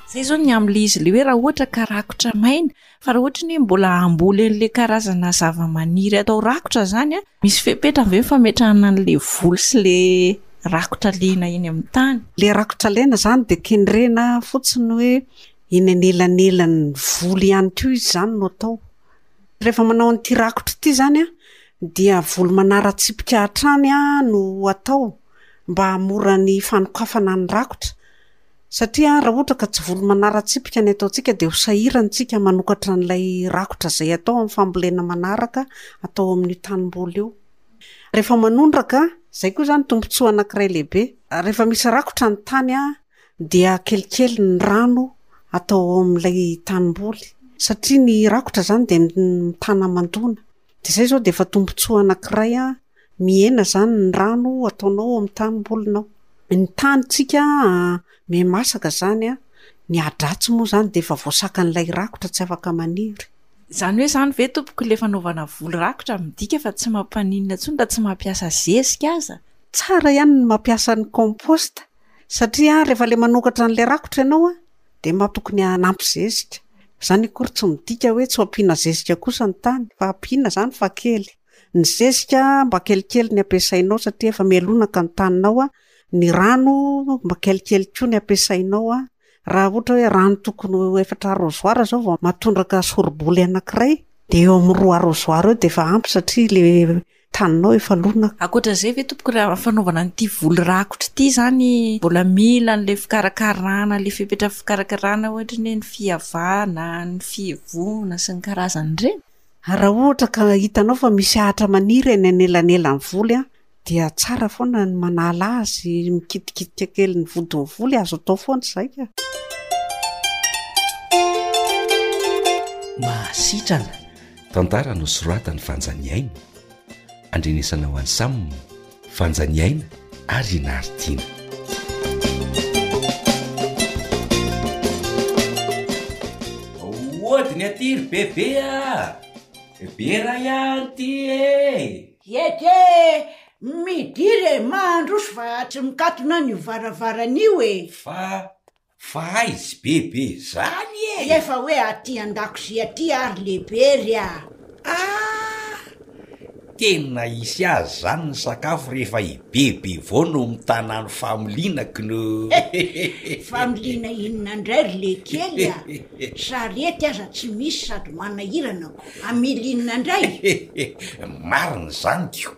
Zay zao ny amin'ilay izy ilay hoe raha ohatra ka rakotra maina, fa raha ohatra ny hoe mbola hamboly an'ilay karazana zavamaniry atao rakotra zany a, misy fepetra ve ny fametrahana an'ilay voly sy ilay rakotra lena eny amin'ny tany? Ilay rakotra lena zany dia kendrena fotsiny hoe eny anelanelan'ny voly ihany koa izy zany no atao. Rehefa manao an'ity rakotra ity zany a, dia voly manara-tsipika hatrany a no atao mba hahamora ny fanokafana ny rakotra. Satria raha ohatra ka tsy voly manara-tsipika ny ataontsika dia ho sahirana isika manokatra an'ilay rakotra izay atao amin'ny fambolena manaraka atao amin'io tanimboly io. Rehefa manondraka, izay koa izany tombontsoa anankiray lehibe. Rehefa misy rakotra ny tany a, dia kelikely ny rano atao ao amin'ilay tanimboly. Satria ny rakotra izany dia mitana hamandoana. Dia izay izao dia efa tombontsoa anankiray a, mihena izany ny rano ataonao ao amin'ny tanimbolinao. Ny tanintsika miha-masaka izany a, ny ahidratsy moa izany dia efa voasakan'ilay rakotra tsy afaka maniry. Izany hoe izany ve tompoko ilay fanaovana voly rakotra midika fa tsy mampaninona intsony raha tsy mampiasa zezika aza? Tsara ihany ny mampiasa ny compost satria rehefa ilay manokatra an'ilay rakotra ianao a, dia mba tokony hanampy zezika. Izany akory tsy midika hoe tsy ho ampiana zezika kosa ny tany fa ampiana izany fa kely. Ny zezika mba kelikely ny ampiasainao satria efa mialonaka ny taninao a, ny rano mba kelikely koa ny ampiasainao a. Raha ohatra hoe rano tokony ho efatra arrosoir zao vao mahatondraka soriboly anankiray, dia eo amin'ny roa arrosoir eo dia efa ampy satria le taninao efa lonaka. Ankoatra izay ve tompoko raha fanaovana an'ity voly rakotra ity zany mbola mila an'ilay fikarakarana, ilay fepetra fikarakarana ohatra ny hoe ny fiavana, ny fihevoana sy ny karazany ireny? Raha ohatra ka hitanao fa misy ahitra maniry eny anelanelan'ny voly a, dia tsara foana ny manala azy, mikitikitika kely ny vodin'ny voly, azo atao foana izay ka. Mahasitrana. Tantara nosoratan'i Fanjaniaina, andrenesana ho an'i Sam, Fanjaniaina ary i Naritina. Ody ny aty ry bebe a! Be ray ihany ty e! Ety e! Midira e! Mandroso fa tsy mikatona an'io varavarana io e! Fa, fa aiza bebe zany e? Efa hoe aty an-dakozia aty ary lehibe ry a! Ah! Tena hisy azy zany ny sakafo rehefa i bebe vao no mitana ny familiana kno! Familiana inona indray ry lekely a! Sarety aza tsy misy sady manahirana ko! Hamily inona indray? Marina izany ko!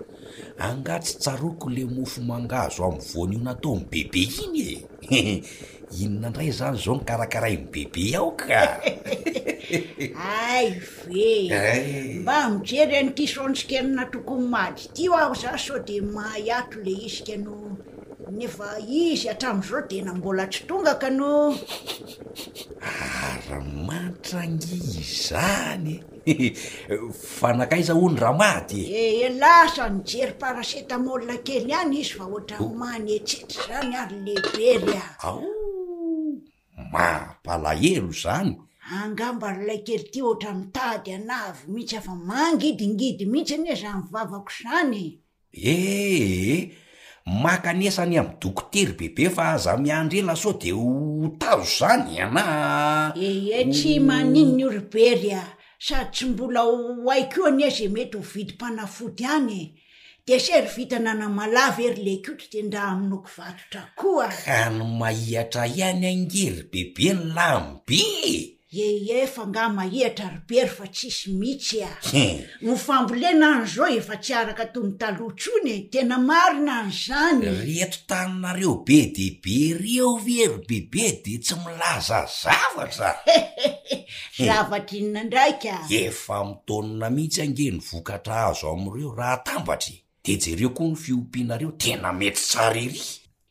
Angaha tsy tsaroako le mofo mangahazo amin'ny voanio nataon'i bebe iny e! Inona indray izany izao no karakarain'i bebe ao ka? Hay ve! Mba mijery an'ity saontsy nataoko omaly ity aho za sao dia mahay ato le izy ka no nefa izy hatramin'izao tena mbola tsy tonga ka no. Ary mantra ange izany e! Fa nankaiza hono Ramady e? E, lasa nijery paracetamol kely ihany izy fa ohatran'ny manetsetra izany ary lehibe ry a. Ao! Mampalahelo izany. Angamba ry ilay kely ity ohatran'ny mitady anavy mihitsy afa mangidingidy mihitsy anie izany vavako izany e. Ee, mankanesa any amin'ny dokotera bebe fa aza miandry ela sao dia ho tazo izany na. Ee, tsy maninona io ry Bery a, sady tsy mbola ho hay koa anie izay mety ho vidim-panafody any e. Dia sery vintana anamalahy ve ry Lekoto dia ndra hamonoako vatotra koa. Ka ny mahihatra ihany ange ry bebe ny lany be e! Ee, fa nga mahihatra ry Bery fa tsisy mihitsy a! Ny fambolena any zao efa tsy araka toy ny taloha intsony e! Tena marina an'izany! Reto taninareo be dia be reo ve ry bebe dia tsy milaza zavatra? Zavatra inona indray ka? Efa mitaonina mihitsy ange ny vokatra azo amin'ireo raha atambatra e! Dia jereo koa ny fiompianareo tena mety tsara ery!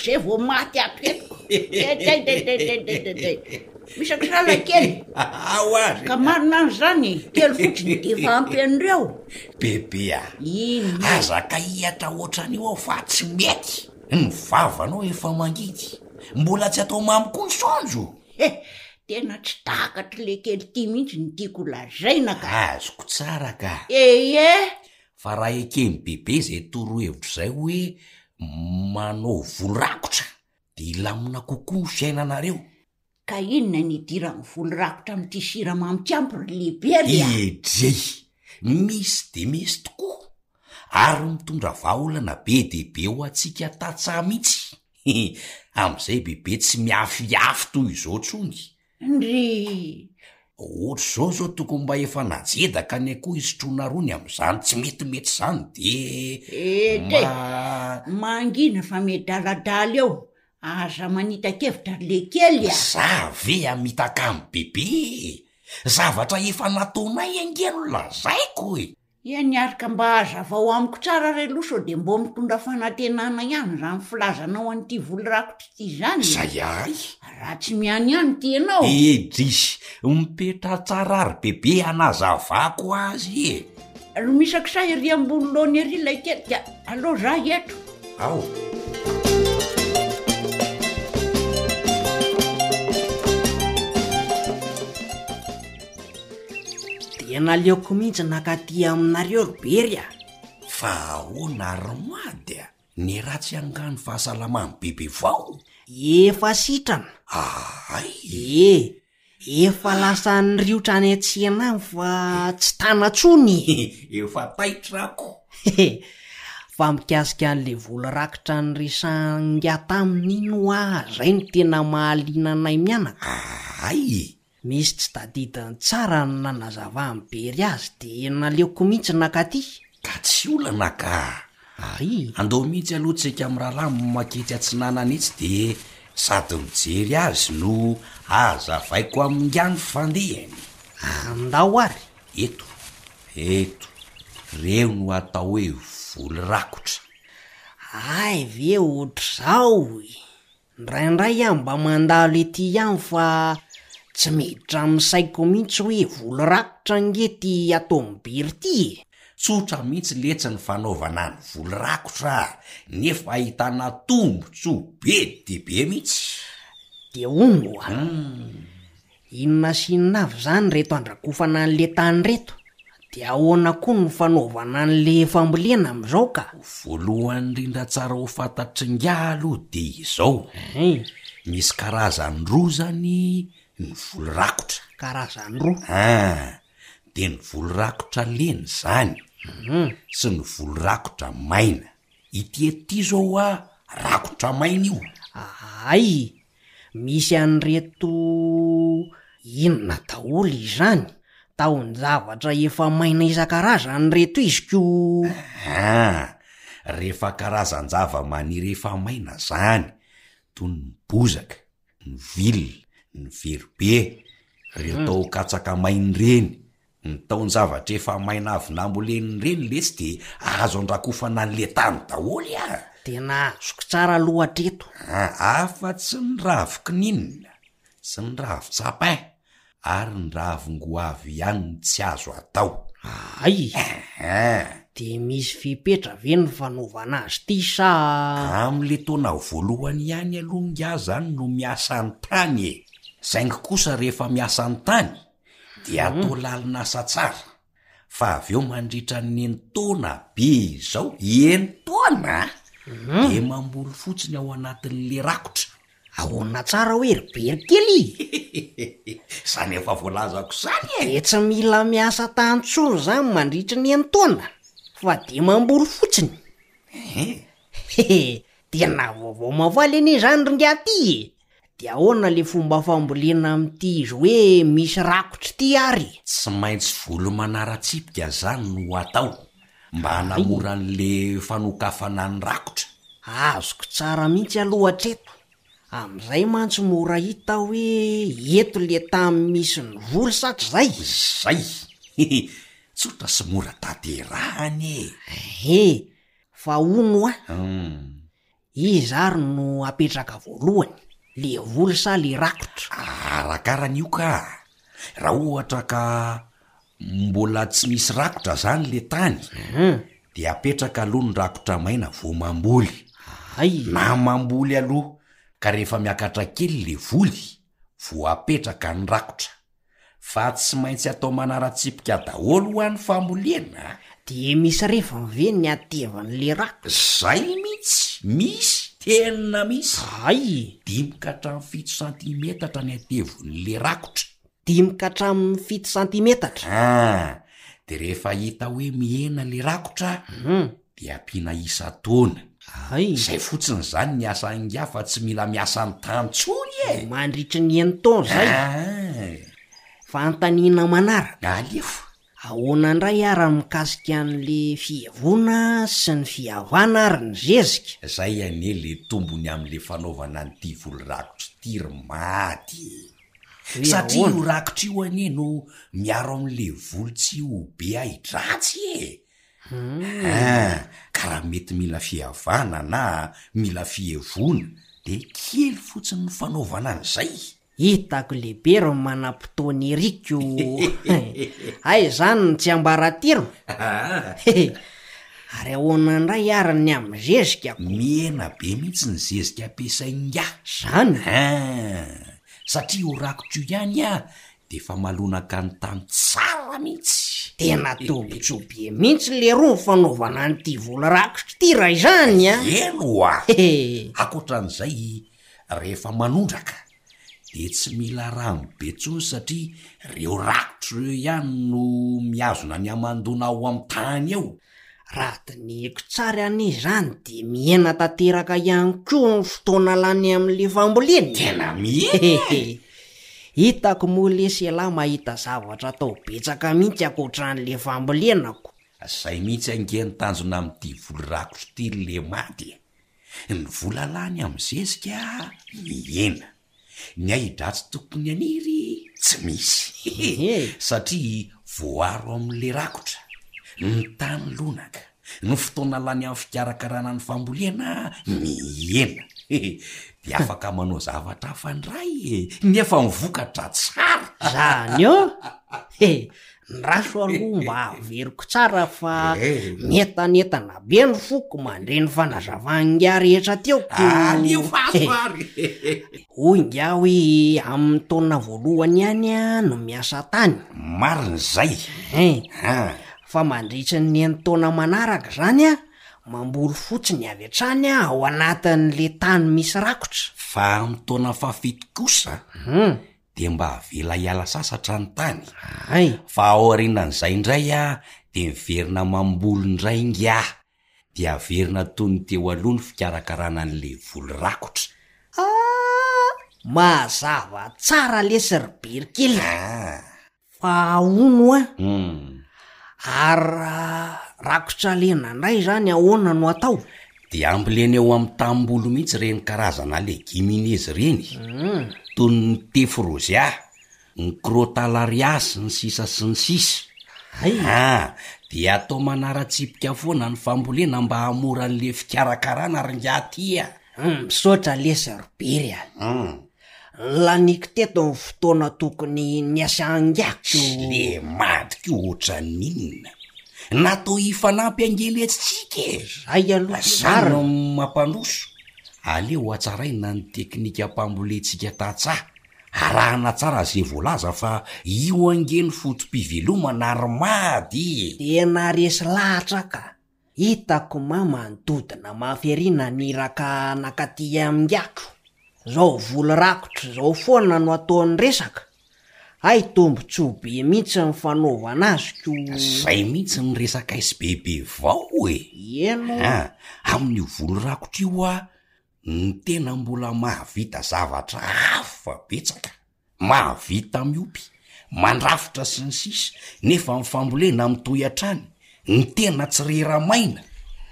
izay vao maty ato eto. Tey-tey-tey-tey-tey-tey. Misakisala kely. Ao ary. Ka marina an'izany e, kely fotsiny dia efa ampy an'ireo. Bebe a! Inona? Aza kahihatra ohatran'io aho fa tsy mety. Ny vavanao efa mangidy. Mbola tsy atao mamy koa ny saonjo. He, tena tsy takatr'ilay kely ity mihitsy ny tiako ho lazaina ka. Azoko tsara ka. Eie! Fa raha eken'i Bebe izay torohevitra izay hoe manao voly rakotra dia hilamina kokoa ny fiainanareo. Ka inona ny idiran'ny voly rakotra amin'ity siramamy tsy ampy ry Lehibe ry a? Edrey! Misy dia misy tokoa! Ary mitondra vahaolana be dia be ho antsika tantsaha mihitsy. Amin'izay Bebe tsy miafiafy toy izao intsony. Ndry! Ohatr'izao izao tokony mba efa najedaka ny akoho hisotroana rony amin'izany tsy metimety izany dia Ete! mba. Mangina fa miadaladala eo. Aza manita-kevitra ry lekely a! Za ve hamitaka amin'i Bebe e! Zavatra efa nataonay ange no lazaiko e! Eny ary ka mba hazavao amiko tsara re aloha sao dia mbô mitondra fanantenana ihany izany filazanao an'ity voly rakotra ity izany e! Zay ahy! Raha tsy mianiany ity ianao! Edrisy, mipetraha tsara ry Bebe hanazavako azy e! Ry misakisa ery ambony laona ery ilay kely dia aleo za eto. Ao. Dia naleoko mihitsy nakaty aminareo ry Bery a! Fa ahoana ry Mady a? Ny ratsy angaha ny fahasalaman'i Bebe vao? Efa sitrana. Ahay! Ie, efa lasa niriotra any an-tsena any fa tsy tana intsony e! Efa taitra ako. Fa mikasika an'ilay vola rakitra niresahan'ingahy taminy iny hoa izay no tena mahaliana anay mianaka. Ahay! Misy tsy tadidiny tsara ny nanazavan'i Bery azy dia naleoko mihitsy nakaty. Ka tsy olana ka! Ary? Andao mihitsy aloha tsika mirahalahy maketsy atsinanana etsy dia sady mijery azy no hazavaiko amin'ingahy ny fandehany. Andao ary! Eto, eto, reo no atao hoe voly rakotra. Hay ve ohatr'izao e! Indraindray aho mba mandalo ety ihany fa tsy miditra amin'ny saiko mihitsy hoe voly rakotra ange ity ataon'i Bery ity e! Tsotra mihitsy letsy ny fanaovana ny voly rakotra nefa ahitana tombontsoa be dia be mihitsy. Dia hono oa! Inona sy inona avy izany ireto andrakofana an'le tany ireto? Dia ahoana koa no fanaovana an'le fambolena amin'izao ka? Voalohany indrindra tsara ho fantatr'ingahy aloha dia izao, Misy karazany roa zany ny voly rakotra. Karazany roa. Ah, de ny voly rakotra lena zany sy ny voly rakotra maina. Ity eto ity zao hoa rakotra maina io. Hay! Misy an'ireto inona daholo izany? Tahon-javatra efa maina isan-karazany ireto izy ko. Ah, rehefa karazan-javamaniry efa maina zany, toy ny bozaka, ny vilona, ny veribe, ireo taho-katsaka maina ireny, ny tahon-javatra efa maina avy nambolena ireny letsy de azo andrakofana an'le tany daholo ah! Tena azoko tsara aloha hatreto. Ah, afa-tsy ny ravin-kininina sy ny ravin-tsapin ary ny ravin-goavy ihany no tsy azo atao. Hay! Ehe. De misy fepetra ve ny fanaovana azy ity sa? Amin'le taona voalohany ihany aloha ingahy zany no miasa ny tany e! Saingy kosa rehefa miasa ny tany dia atao lalin'asa tsara fa avy eo mandritra ny enin-taona be izao, enin-taona a! Dia mamboly fotsiny ao anatin'le rakotra. Ahoana tsara hoe ry Berikely? Zany efa voalazako zany e! Dia tsy mila miasa tany intsony zany mandritry ny enin-taona fa dia mamboly fotsiny. Ehe. Tena vaovao mahafaly anie izany ry ingahy ty e! Dia ahoana le fomba fambolena amin'ity izy hoe misy rakotra ity ary? Tsy maintsy voly manara-tsipika zany no atao mba hanamora an'le fanokafana ny rakotra. Azoko tsara mihitsy aloha hatreto. Amin'izay mantsy mora hita hoe eto le tany misy ny voly sa tsy zay? Zay! Tsotra sy mora tanterahana e! Ehe, fa hono hoa, iza ary no apetraka voalohany, le voly sa le rakotra? Arakarany io ka! Raha ohatra ka mbola tsy misy rakotra zany le tany, de apetraka aloha ny rakotra maina vao mamboly. Hay! Na mamboly aloha ka rehefa miakatra kely le voly vao apetraka ny rakotra. Fa tsy maintsy atao manara-tsipika daholo hoa ny fambolena a! De misy refiny ve ny hatevan'le rakotra? Zay mihitsy! Misy! Tena misy! Hay! Dimy ka hatramin'ny fito santimetatra ny hatevon'le rakotra. Dimy ka hatramin'ny fito santimetatra. Ah! De rehefa hita hoe mihena le rakotra de ampiana isan-taona. Hay! Zay fotsiny zany ny asa ingahy fa tsy mila miasa ny tany tsony e! Mandritry ny enin-taona zay? Ah! Fanontaniana manaraka. Alefa. Ahoana indray ara ny mikasika an'le fihevoana sy ny fihavana ary ny zezika? Zay anie le tombony amle fanaovana an'ity voly rakotra ity ry Mady e! Hoe Satria ahoana? io rakotra io anie no miaro amle voly tsy ho be ahi-dratsy e! Ah, ka raha mety mila fihavana na mila fihevoana de kely fotsiny ny fanaovana an'izay. Hitako lehibe ry manam-potoana ery ko! Hay izany ny tsiambaratelo? Ary ahoana indray ary ny amin'ny zezika ko? Mihena be mihitsy ny zezika ampiasain'ingahy. Zany? Ah, satria io rakotra io ihany ah de efa malonaka ny tany tsara mihitsy. Tena tombontsoa be mihitsy leroa ny fanaovana an'ity vola rakotra ity raha izany a! Eny oa! Ankoatran'izay, rehefa manondraka de tsy mila rano be intsony satria reo rakotra ireo ihany no mihazona ny hamandoana ao amin'ny tany ao. Raha dinihiko tsara anie izany dia mihena tanteraka ihany koa ny fotoana lany amin'le fambolena e! Tena mihena e! Hitako moa lesy ialahy mahita zavatra atao betsaka mihitsy ankoatran'le fambolena ko! Zay mihitsy ange ny tanjona amin'ity voly rakotra ity ry Lemady e! Ny vola lany amin'ny zezika mihena. Ny ahi-dratsy tokony haniry tsy misy satria voaaro amin'ilay rakotra, ny tany lonaka, ny fotoana lany amin'ny fikarakarana ny fambolena mihena. Dia afaka manao zavatra hafa indray e! Nefa ny vokatra tsara! Zany ô! Ndraso aloha mba averiko tsara fa mientanentana be ny foko mandre ny fanazavan'ingahy rehetra teo ko. Alefaso ary! Hoy ingahy hoe amin'ny taona voalohany ihany no miasa tany. Marina izay. Hein. An. Fa mandritry ny enin-taona manaraka izany an, Mamboly fotsiny avy hatrany aho ao anatin'le tany misy rakotra. Fa amin'ny taona fahafito kosa dia mba avela hiala sasatra ny tany. Hay. Fa aorianan'izay indray dia miverina mamboly indray ingahy. Dia averina toy ny teo aloha ny fikarakarana an'le voly rakotra. Ah! Mazava tsara lesy ry Birikely. Fa hono an, ary raha rakotra lena indray izany ahoana no atao? Dia ambolena eo amin'ny tanimboly mihitsy ireny karazana legimineuses ireny, toy ny tephrosia, ny crotalaria sy ny sisa sy ny sisa. Ah, dia atao manara-tsipika foana ny fambolena mba hahamora an'ilay fikarakarana ry ingahy ty a! Misaotra lesy ry Bery a! Laniko teto ny fotoana tokony niasangako. Le madiko ohatran'ny inona? Natao hifanampy ange letsy tsika e! Zay aloha Zany no mampandroso. Aleo hatsaraina ny teknikam-pambolentsika tantsaha. Arahana tsara ze voalaza fa io ange ny foto-pivelomana ry mady e! Tena resy lahatra ka! Hitako mama nidodona mafy ery naniraka nankaty amingako. Zao voly rakotra zao foana no ataony resaka. Hay tombotsoa be mihitsy ny fanaovana azy ko. Zay mihitsy ny resakay sy bebe vao e! Eny o. Ah, amin'io voly rakotra io hoa ny tena mbola mahavita zavatra hafa betsaka. Mahavita miompy, mandrafitra sy ny sisa nefa ny fambolena mitohy hatrany, ny tena tsy rera-maina.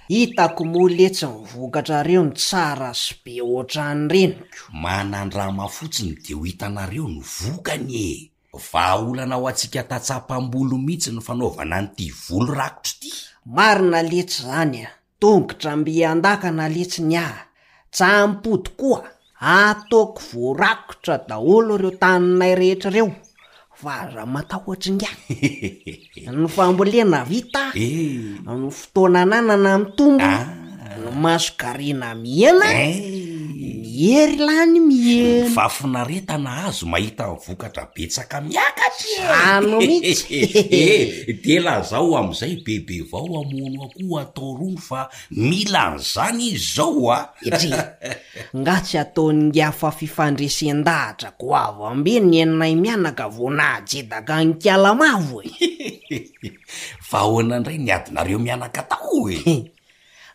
Hitako moa letsy ny vokatrareo no tsara sy be ohatran'ireny ko. Manandrama fotsiny de ho hitanareo ny vokany e! Vahaolana ho antsika tantsaha mpamboly mihitsy ny fanaovana an'ity voly rakotra ity. Marina letsy zany a! Tongotra mby an-dakana letsy ny ahy. Tsampody koa, ataoko voarakotra daholo ireo taninay rehetra ireo, fa aza matahotra ingahy. Ny fambolena vita, ny fotoana ananana mitombo, ny mason-karena mihena, ny hery lany mihena. Ny fahafinaretana azo mahita ny vokatra betsaka miakatra e! Zany mihitsy. Eh, dia lazao amin'izay bebe vao hamono akoho atao rony fa mila an'izany izy izao a! Etri, nga tsy ataon'ingahy fa fifandresen-dahatra goavam-be ny anay mianaka vao nahajedaka an'Ikalamavo e! Fa ahoana indray ny adinareo mianaka tao e?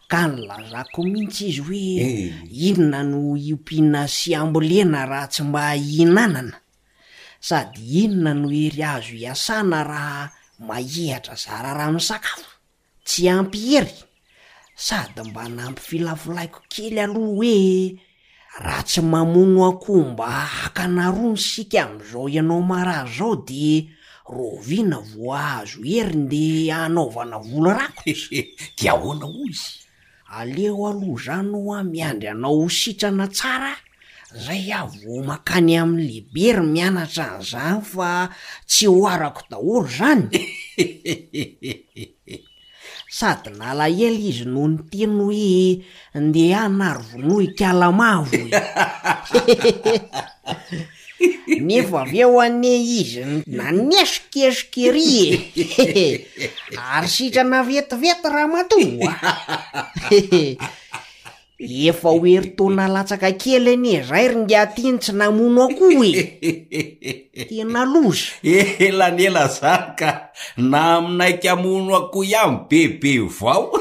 Ka nilazako mihitsy izy hoe inona no hiompiana sy hambolena raha tsy mba hihinanana? Sady inona no hery azo iasana raha mahihatra zara raha misakafo? Tsy ampy hery? Sady mba nampifilafilaiko kely aloha hoe raha tsy mamono akoho mba hakana rony isika amin'izao ianao marary izao dia rahoviana vao hahazo hery ndeha hanaovana voly rakotra? Dia ahoana hoy izy? Aleo aloha izany hoa miandry anao ho sitrana tsara zay aho vao makany amin'ny lehibe ry mianatra an'izany fa tsy ho arako daholo izany. Sady nalahelo izy no niteny hoe ndehana ary vonoy ikalamavo e! Nefa avy eo anie izy nanesokesoka ery e! Ary sitrana vetivety ramatoa! Efa ho herintaona latsaka kely anie zay ry ngiahy ty no tsy namono akoho e! Tena loza! Ela ny ela zany ka na aminaiky hamono akoho ihany bebe vao!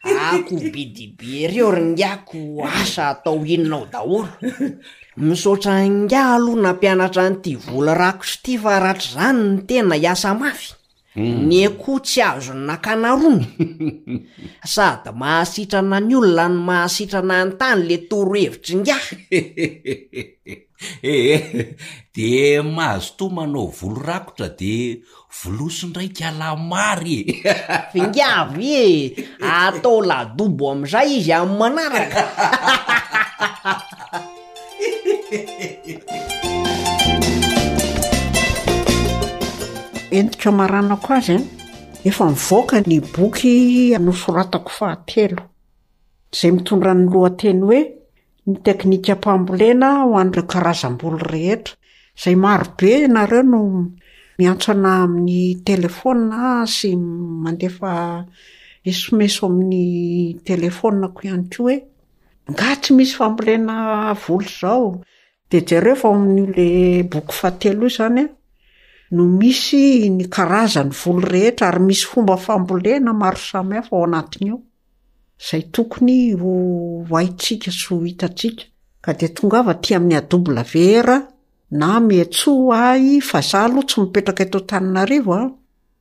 Akoho be dia be ireo ry ngiahy ko asa atao inona ao daholo. Misaotra an'ingahy aloha nampianatra an'ity voly rakotra ity fa ratr'izany ny tena hiasa mafy. Ny akoho tsy azony nakana rony. Sady mahasitrana ny olona no mahasitrana ny tany le torohevitr'ingahy. Ee, de mazotoa manao volo rakotra de volosy indray kalamary e! Fingavy e! Atao ladobo amizay izy amin'ny manaraka. Entiko hamaranako azy an, efa nivoaka ny boky nosoratako fahatelo, izay mitondra ny lohateny hoe Ny teknikam-pambolena ho an'ireo karazam-boly rehetra, izay marobe ianareo no Miantso anà amin'ny telefaonina sy mandefa esomeso amin'ny telefaoninako ihany koa hoe nga tsy misy fambolena voly izao. Dia jereo fa ao amin'io le boky fahatelo io izany an, no misy ny karazan'ny voly rehetra ary misy fomba fambolena maro samihafa ao anatin'io, izay tokony ho haintsika sy ho hitantsika. Ka dia tongava aty amin'ny A W R na miantsoa ahy, fa za aloha tsy mipetraka eto Antananarivo an,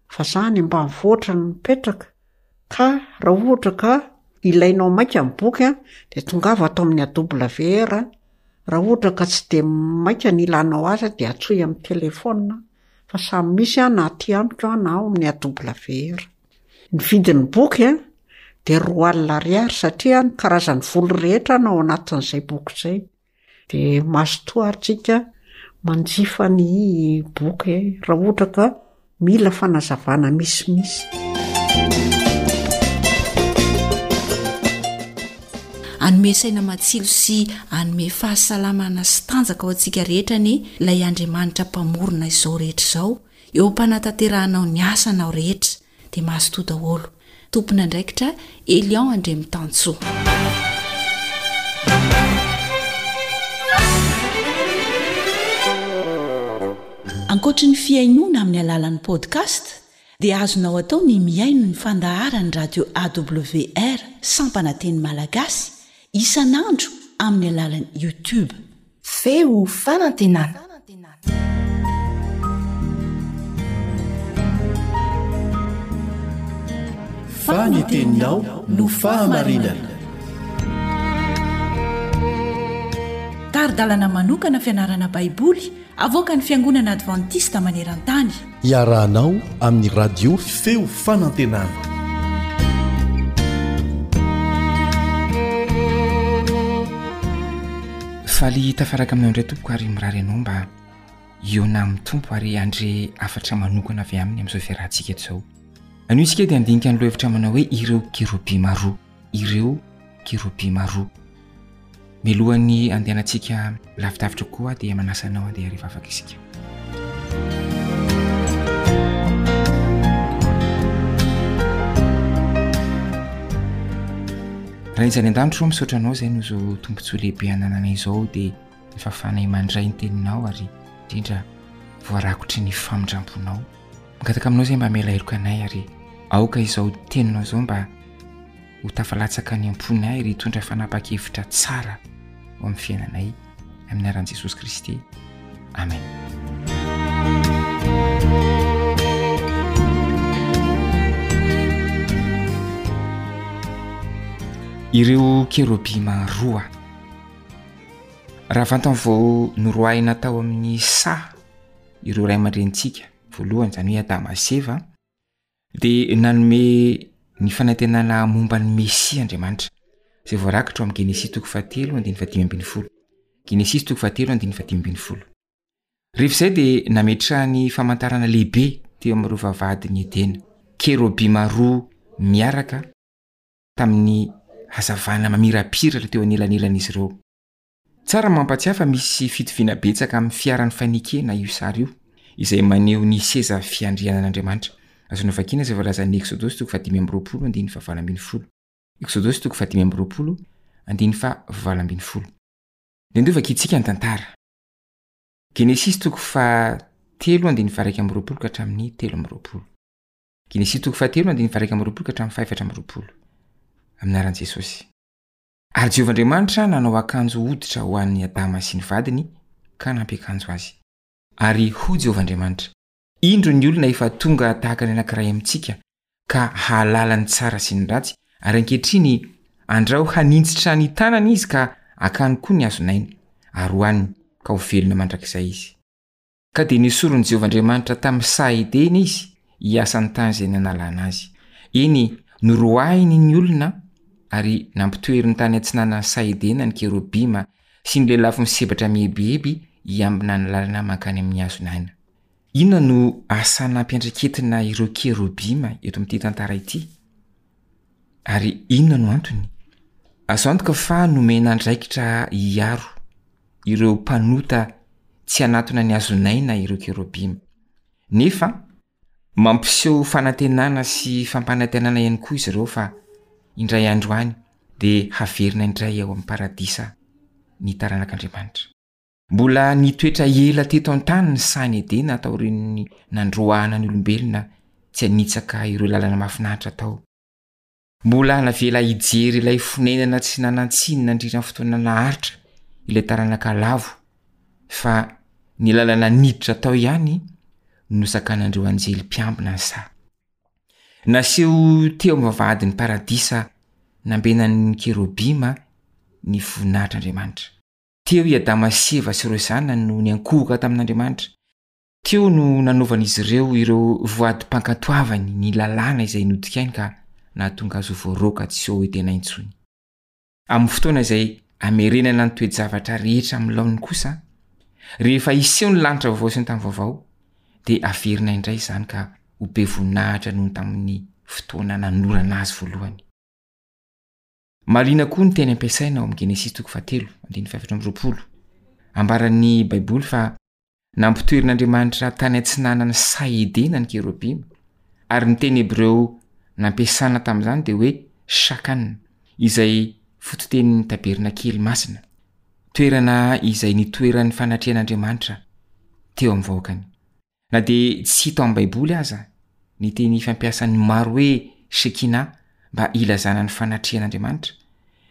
fa za any ambanivohitra no mipetraka. Ka raha ohatra ka ilainao maika ny boky an, dia tongava ato amin'ny A W R. Raha ohatra ka tsy dia maika ny ilanao azy dia antsoy amin'ny telefaonina, fa samy misy an, na aty amiko an, na ao amin'ny A W R. Ny vidin'ny boky an, dia roa alina ariary satria ny karazan'ny voly rehetra no ao anatin'izay boky izay. Dia mazotoa ary tsika manjifa ny boky raha ohatra ka mila fanazavana misimisy. Hanome saina matsilo sy hanome fahasalamana sy tanjaka ho antsika rehetra anie ilay Andriamanitra mpamorona izao rehetra izao eo am-panatanterahanao ny asanao rehetra. Dia mazotoa daholo. Tompon'andraikitra Elion Andriamitansoa. Ankoatry ny fihainoana amin'ny alalan'ny podcast dia azonao atao ny mihaino ny fandaharan'ny radio A W R sampana teny malagasy isan'andro amin'ny alalan'ny YouTube. Feo fanantenana. Fa ny teninao no fahamarinana. Tari-dalana manokana fianarana Baiboly avoaka ny Fiangonana Adventista maneran-tany. Iarahanao amin'ny radio Feo Fanantenana. Faly tafaraka aminao indray tompoko, ary mirary anao mba hihaona amin'ny Tompo ary handre hafatra manokana avy aminy amin'izao fiarahantsika eto izao. Anio isika dia handinika ny lohahevitra manao hoe ireo kerobima roa, ireo kerobima roa. Mialohan'ny andehanantsika lavidavitra koa dia manasa anao andeha hivavaka isika. Raha izany an-danitra ro, misaotra anao izay no zao tombontsoa lehibe anananay izao, dia ny fahafahanay mandray ny teninao ary indrindra voarakotry ny famindram-ponao. Mangataka aminao izay mba hamela heloka anay, ary aoka izao teninao izao mba ho tafalatsaka ny am-ponay ary hitondra fanapa-kevitra tsara ho amin'ny fiainanay, amin'ny anaran'i Jesosy Kristy, amen. Ireo kerobima roa. Raha vantany vao noroahina tao amin'ny saha ireo ray aman-drenintsika voalohany, izany hoe Adama sy Eva, dia nanome ny fanantenana momba ny Mesia Andriamanitra, izay voarakitra ao amin'ny Genesisy toko fahatelo andininy fahadimy ambin'ny folo. Genesisy toko fahatelo andininy fahadimy ambin'ny folo. Rehefa izay dia nametrahany famantarana lehibe teo amin'ireo vavahadin'i Edena, kerobima roa miaraka tamin'ny hazavana mamirapiratra teo anelanelan'izy ireo. Tsara mampatsiahy fa misy fitoviana betsaka amin'ny fiaran'ny fanekena io sary io, izay maneho ny seza fiandrianan'Andriamanitra. Azonao vakiana izay voalazan'ny Eksodosy toko fahadimy amby roapolo andininy fahavalo ambin'ny folo. Eksodosy toko fahadimy amby roapolo andininy fahavalo ambin'ny folo. Dia ndeha vakintsika ny tantara. Genesisy toko fahatelo andininy faha-iraika amby roapolo ka hatramin'ny telo amby roapolo. Genesisy toko fahatelo andininy faha-iraika amby roapolo ka hatramin'ny faha-efatra amby roapolo. Amin'ny anaran'i Jesosy. Ary Jehovah Andriamanitra nanao akanjo hoditra ho an'i Adama sy ny vadiny ka nampiakanjo azy. Ary hoy Jehovah Andriamanitra: Indro ny olona efa tonga tahaka ny anankiray amintsika ka hahalala ny tsara sy ny ratsy, ary ankehitriny andrao haninjitra ny tanany izy ka hakany koa ny hazon'aina, ary hohaniny, ka ho velona mandrakizay izy. Ka dia nesorin'i Jehovah Andriamanitra tamin'ny saha Edena izy hiasa ny tany izay nanalana azy. Eny, noroahiny ny olona ary nampitoeriny tany atsinanan'ny saha Edena ny kerobima sy ny lelafo misebatra mihebiheby hiambina ny lalana mankany amin'ny hazon'aina. Inona no asa nampiandraiketina ireo kerobima eto amin'ity tantara ity? Ary inona no antony? Azo antoka fa nomena andraikitra hiaro ireo mpanota tsy hanatona ny hazon'aina ireo kerobima. Nefa mampiseho fanantenana sy fampanantenana ihany koa izy ireo fa indray andro any dia haverina indray ao amin'ny paradisa ny taranak'Andriamanitra. Mbola nitoetra ela teto an-tany ny sahan'i Edena taorian'ny nandroahana ny olombelona tsy hanitsaka ireo lalana mahafinaritra tao. Mbola navela hijery ilay fonenana tsy nanan-tsiny nandritra ny fotoana naharitra ilay taranaka lavo, fa ny lalana niditra tao ihany no nosakanan'ireo anjely mpiambina ny saha. Naseho teo amin'ny vavahadin'ny paradisa nambenan'ny kerobima ny voninahitr'Andriamanitra. Teo i Adama sy Eva sy ireo zanany no niankohoka tamin'Andriamanitra. Teo no nanaovan'izy ireo ireo voadim-pankatoavany ny lalàna izay nodikainy ka nahatonga azy ho voaroaka tsy ho Edena intsony. Amin'ny fotoana izay hamerenana ny toe-javatra rehetra amin'ny laoniny kosa, rehefa hiseho ny lanitra vaovao sy ny tany vaovao, dia haverina indray izany ka ho be voninahitra noho ny tamin'ny fotoana nanorana azy voalohany. Marihina koa ny teny ampiasaina ao amin'ny Genesisy toko fahatelo, andininy fahefatra amby roapolo. Ambaran'ny Baiboly fa nampitoerin'Andriamanitra tany atsinanan'ny saha Edena ny kerobima, ary ny teny hebreo nampiasana tamin'izany dia hoe shakan, izay fototenin'ny tabernakely masina, toerana izay nitoeran'ny fanatrehan'Andriamanitra teo amin'ny vahoakany. Na dia tsy hita ao amin'ny Baiboly aza ny teny fampiasan'ny maro hoe Shekinah mba hilazana ny fanatrehan'Andriamanitra,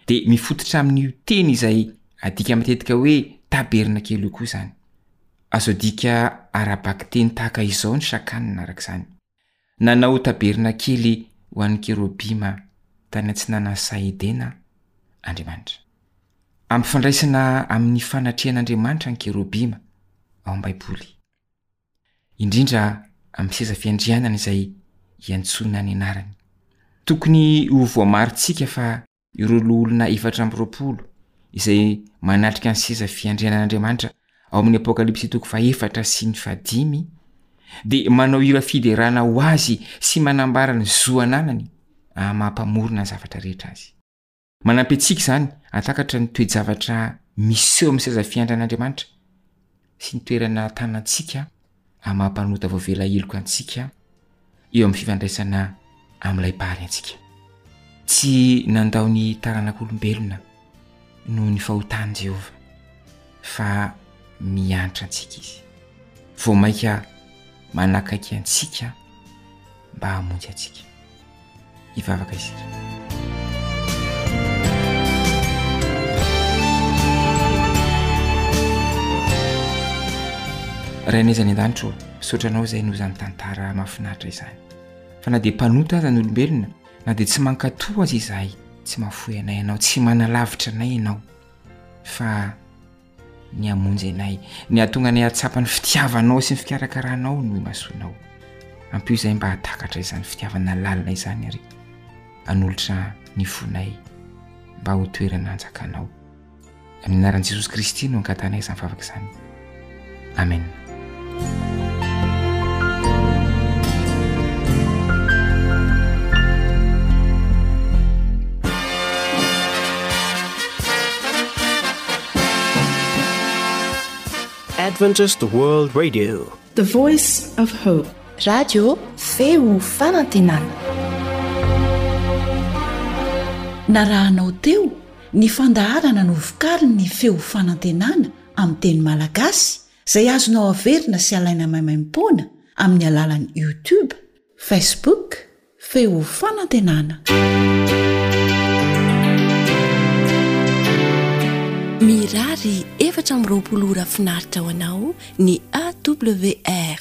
dia mifototra amin'io teny izay adika matetika hoe tabernakely io koa izany. Azo adika ara-bakiteny tahaka izao ny Shakan araka izany, Nanao tabernakely ho an'ny kerobima tany atsinanan'ny saha Edena Andriamanitra. Ampifandraisina amin'ny fanatrehan'Andriamanitra ny kerobima ao amin'ny Baiboly. Indrindra amin'ny seza fiandrianana izay iantsoana ny anarany. Tokony ho voamarintsika fa ireo loholona efatra amby roapolo izay manatrika ny seza fiandrianan'Andriamanitra ao amin'ny Apokalypsy toko fahefatra sy ny fahadimy dia manao hira fiderana ho azy sy manambara ny zo ananany amin'ny maha mpamorona ny zavatra rehetra azy. Manampy antsika izany hahatakatra ny toe-javatra miseho amin'ny seza fiandran'Andriamanitra sy ny toerana tanantsika amin'ny maha mpanota voavela heloka antsika eo amin'ny fifandraisana amin'ilay Mpahary antsika. Tsy nandao ny taranak'olombelona noho ny fahotany Jehovah, fa miantra antsika izy. Vao mainka manakaiky antsika mba hamonjy antsika. Hivavaka isika. Rainay izay any an-danitra ô, misaotra anao izay noho izany tantara mahafinaritra izany. Fa na dia mpanota aza ny olombelona, na dia tsy mankatò aza izahay, tsy mahafoy anay ianao, tsy manalavitra anay ianao, fa ny hamonjy anay, ny hahatonga anay hahatsapa ny fitiavanao sy ny fikarakaranao no imasoanao. Ampio izahay mba hahatakatra izany fitiavana lalina izany ary hanolotra ny fonay mba ho toerana hanjakanao. Amin'ny anaran'i Jesosy Kristy no angatahanay izany vavaka izany. Amen. Adventist World Radio. The Voice of Hope. Radio Feo Fanantenana. Narahanao teo ny fandaharana novokarin'ny Feo Fanantenana amin'ny teny malagasy izay azonao averina sy alaina maimaimpoana amin'ny alalan'ny YouTube, Facebook, Feo Fanantenana. Mirary efatra amby roapolo ora finaritra ho anao ny A W R.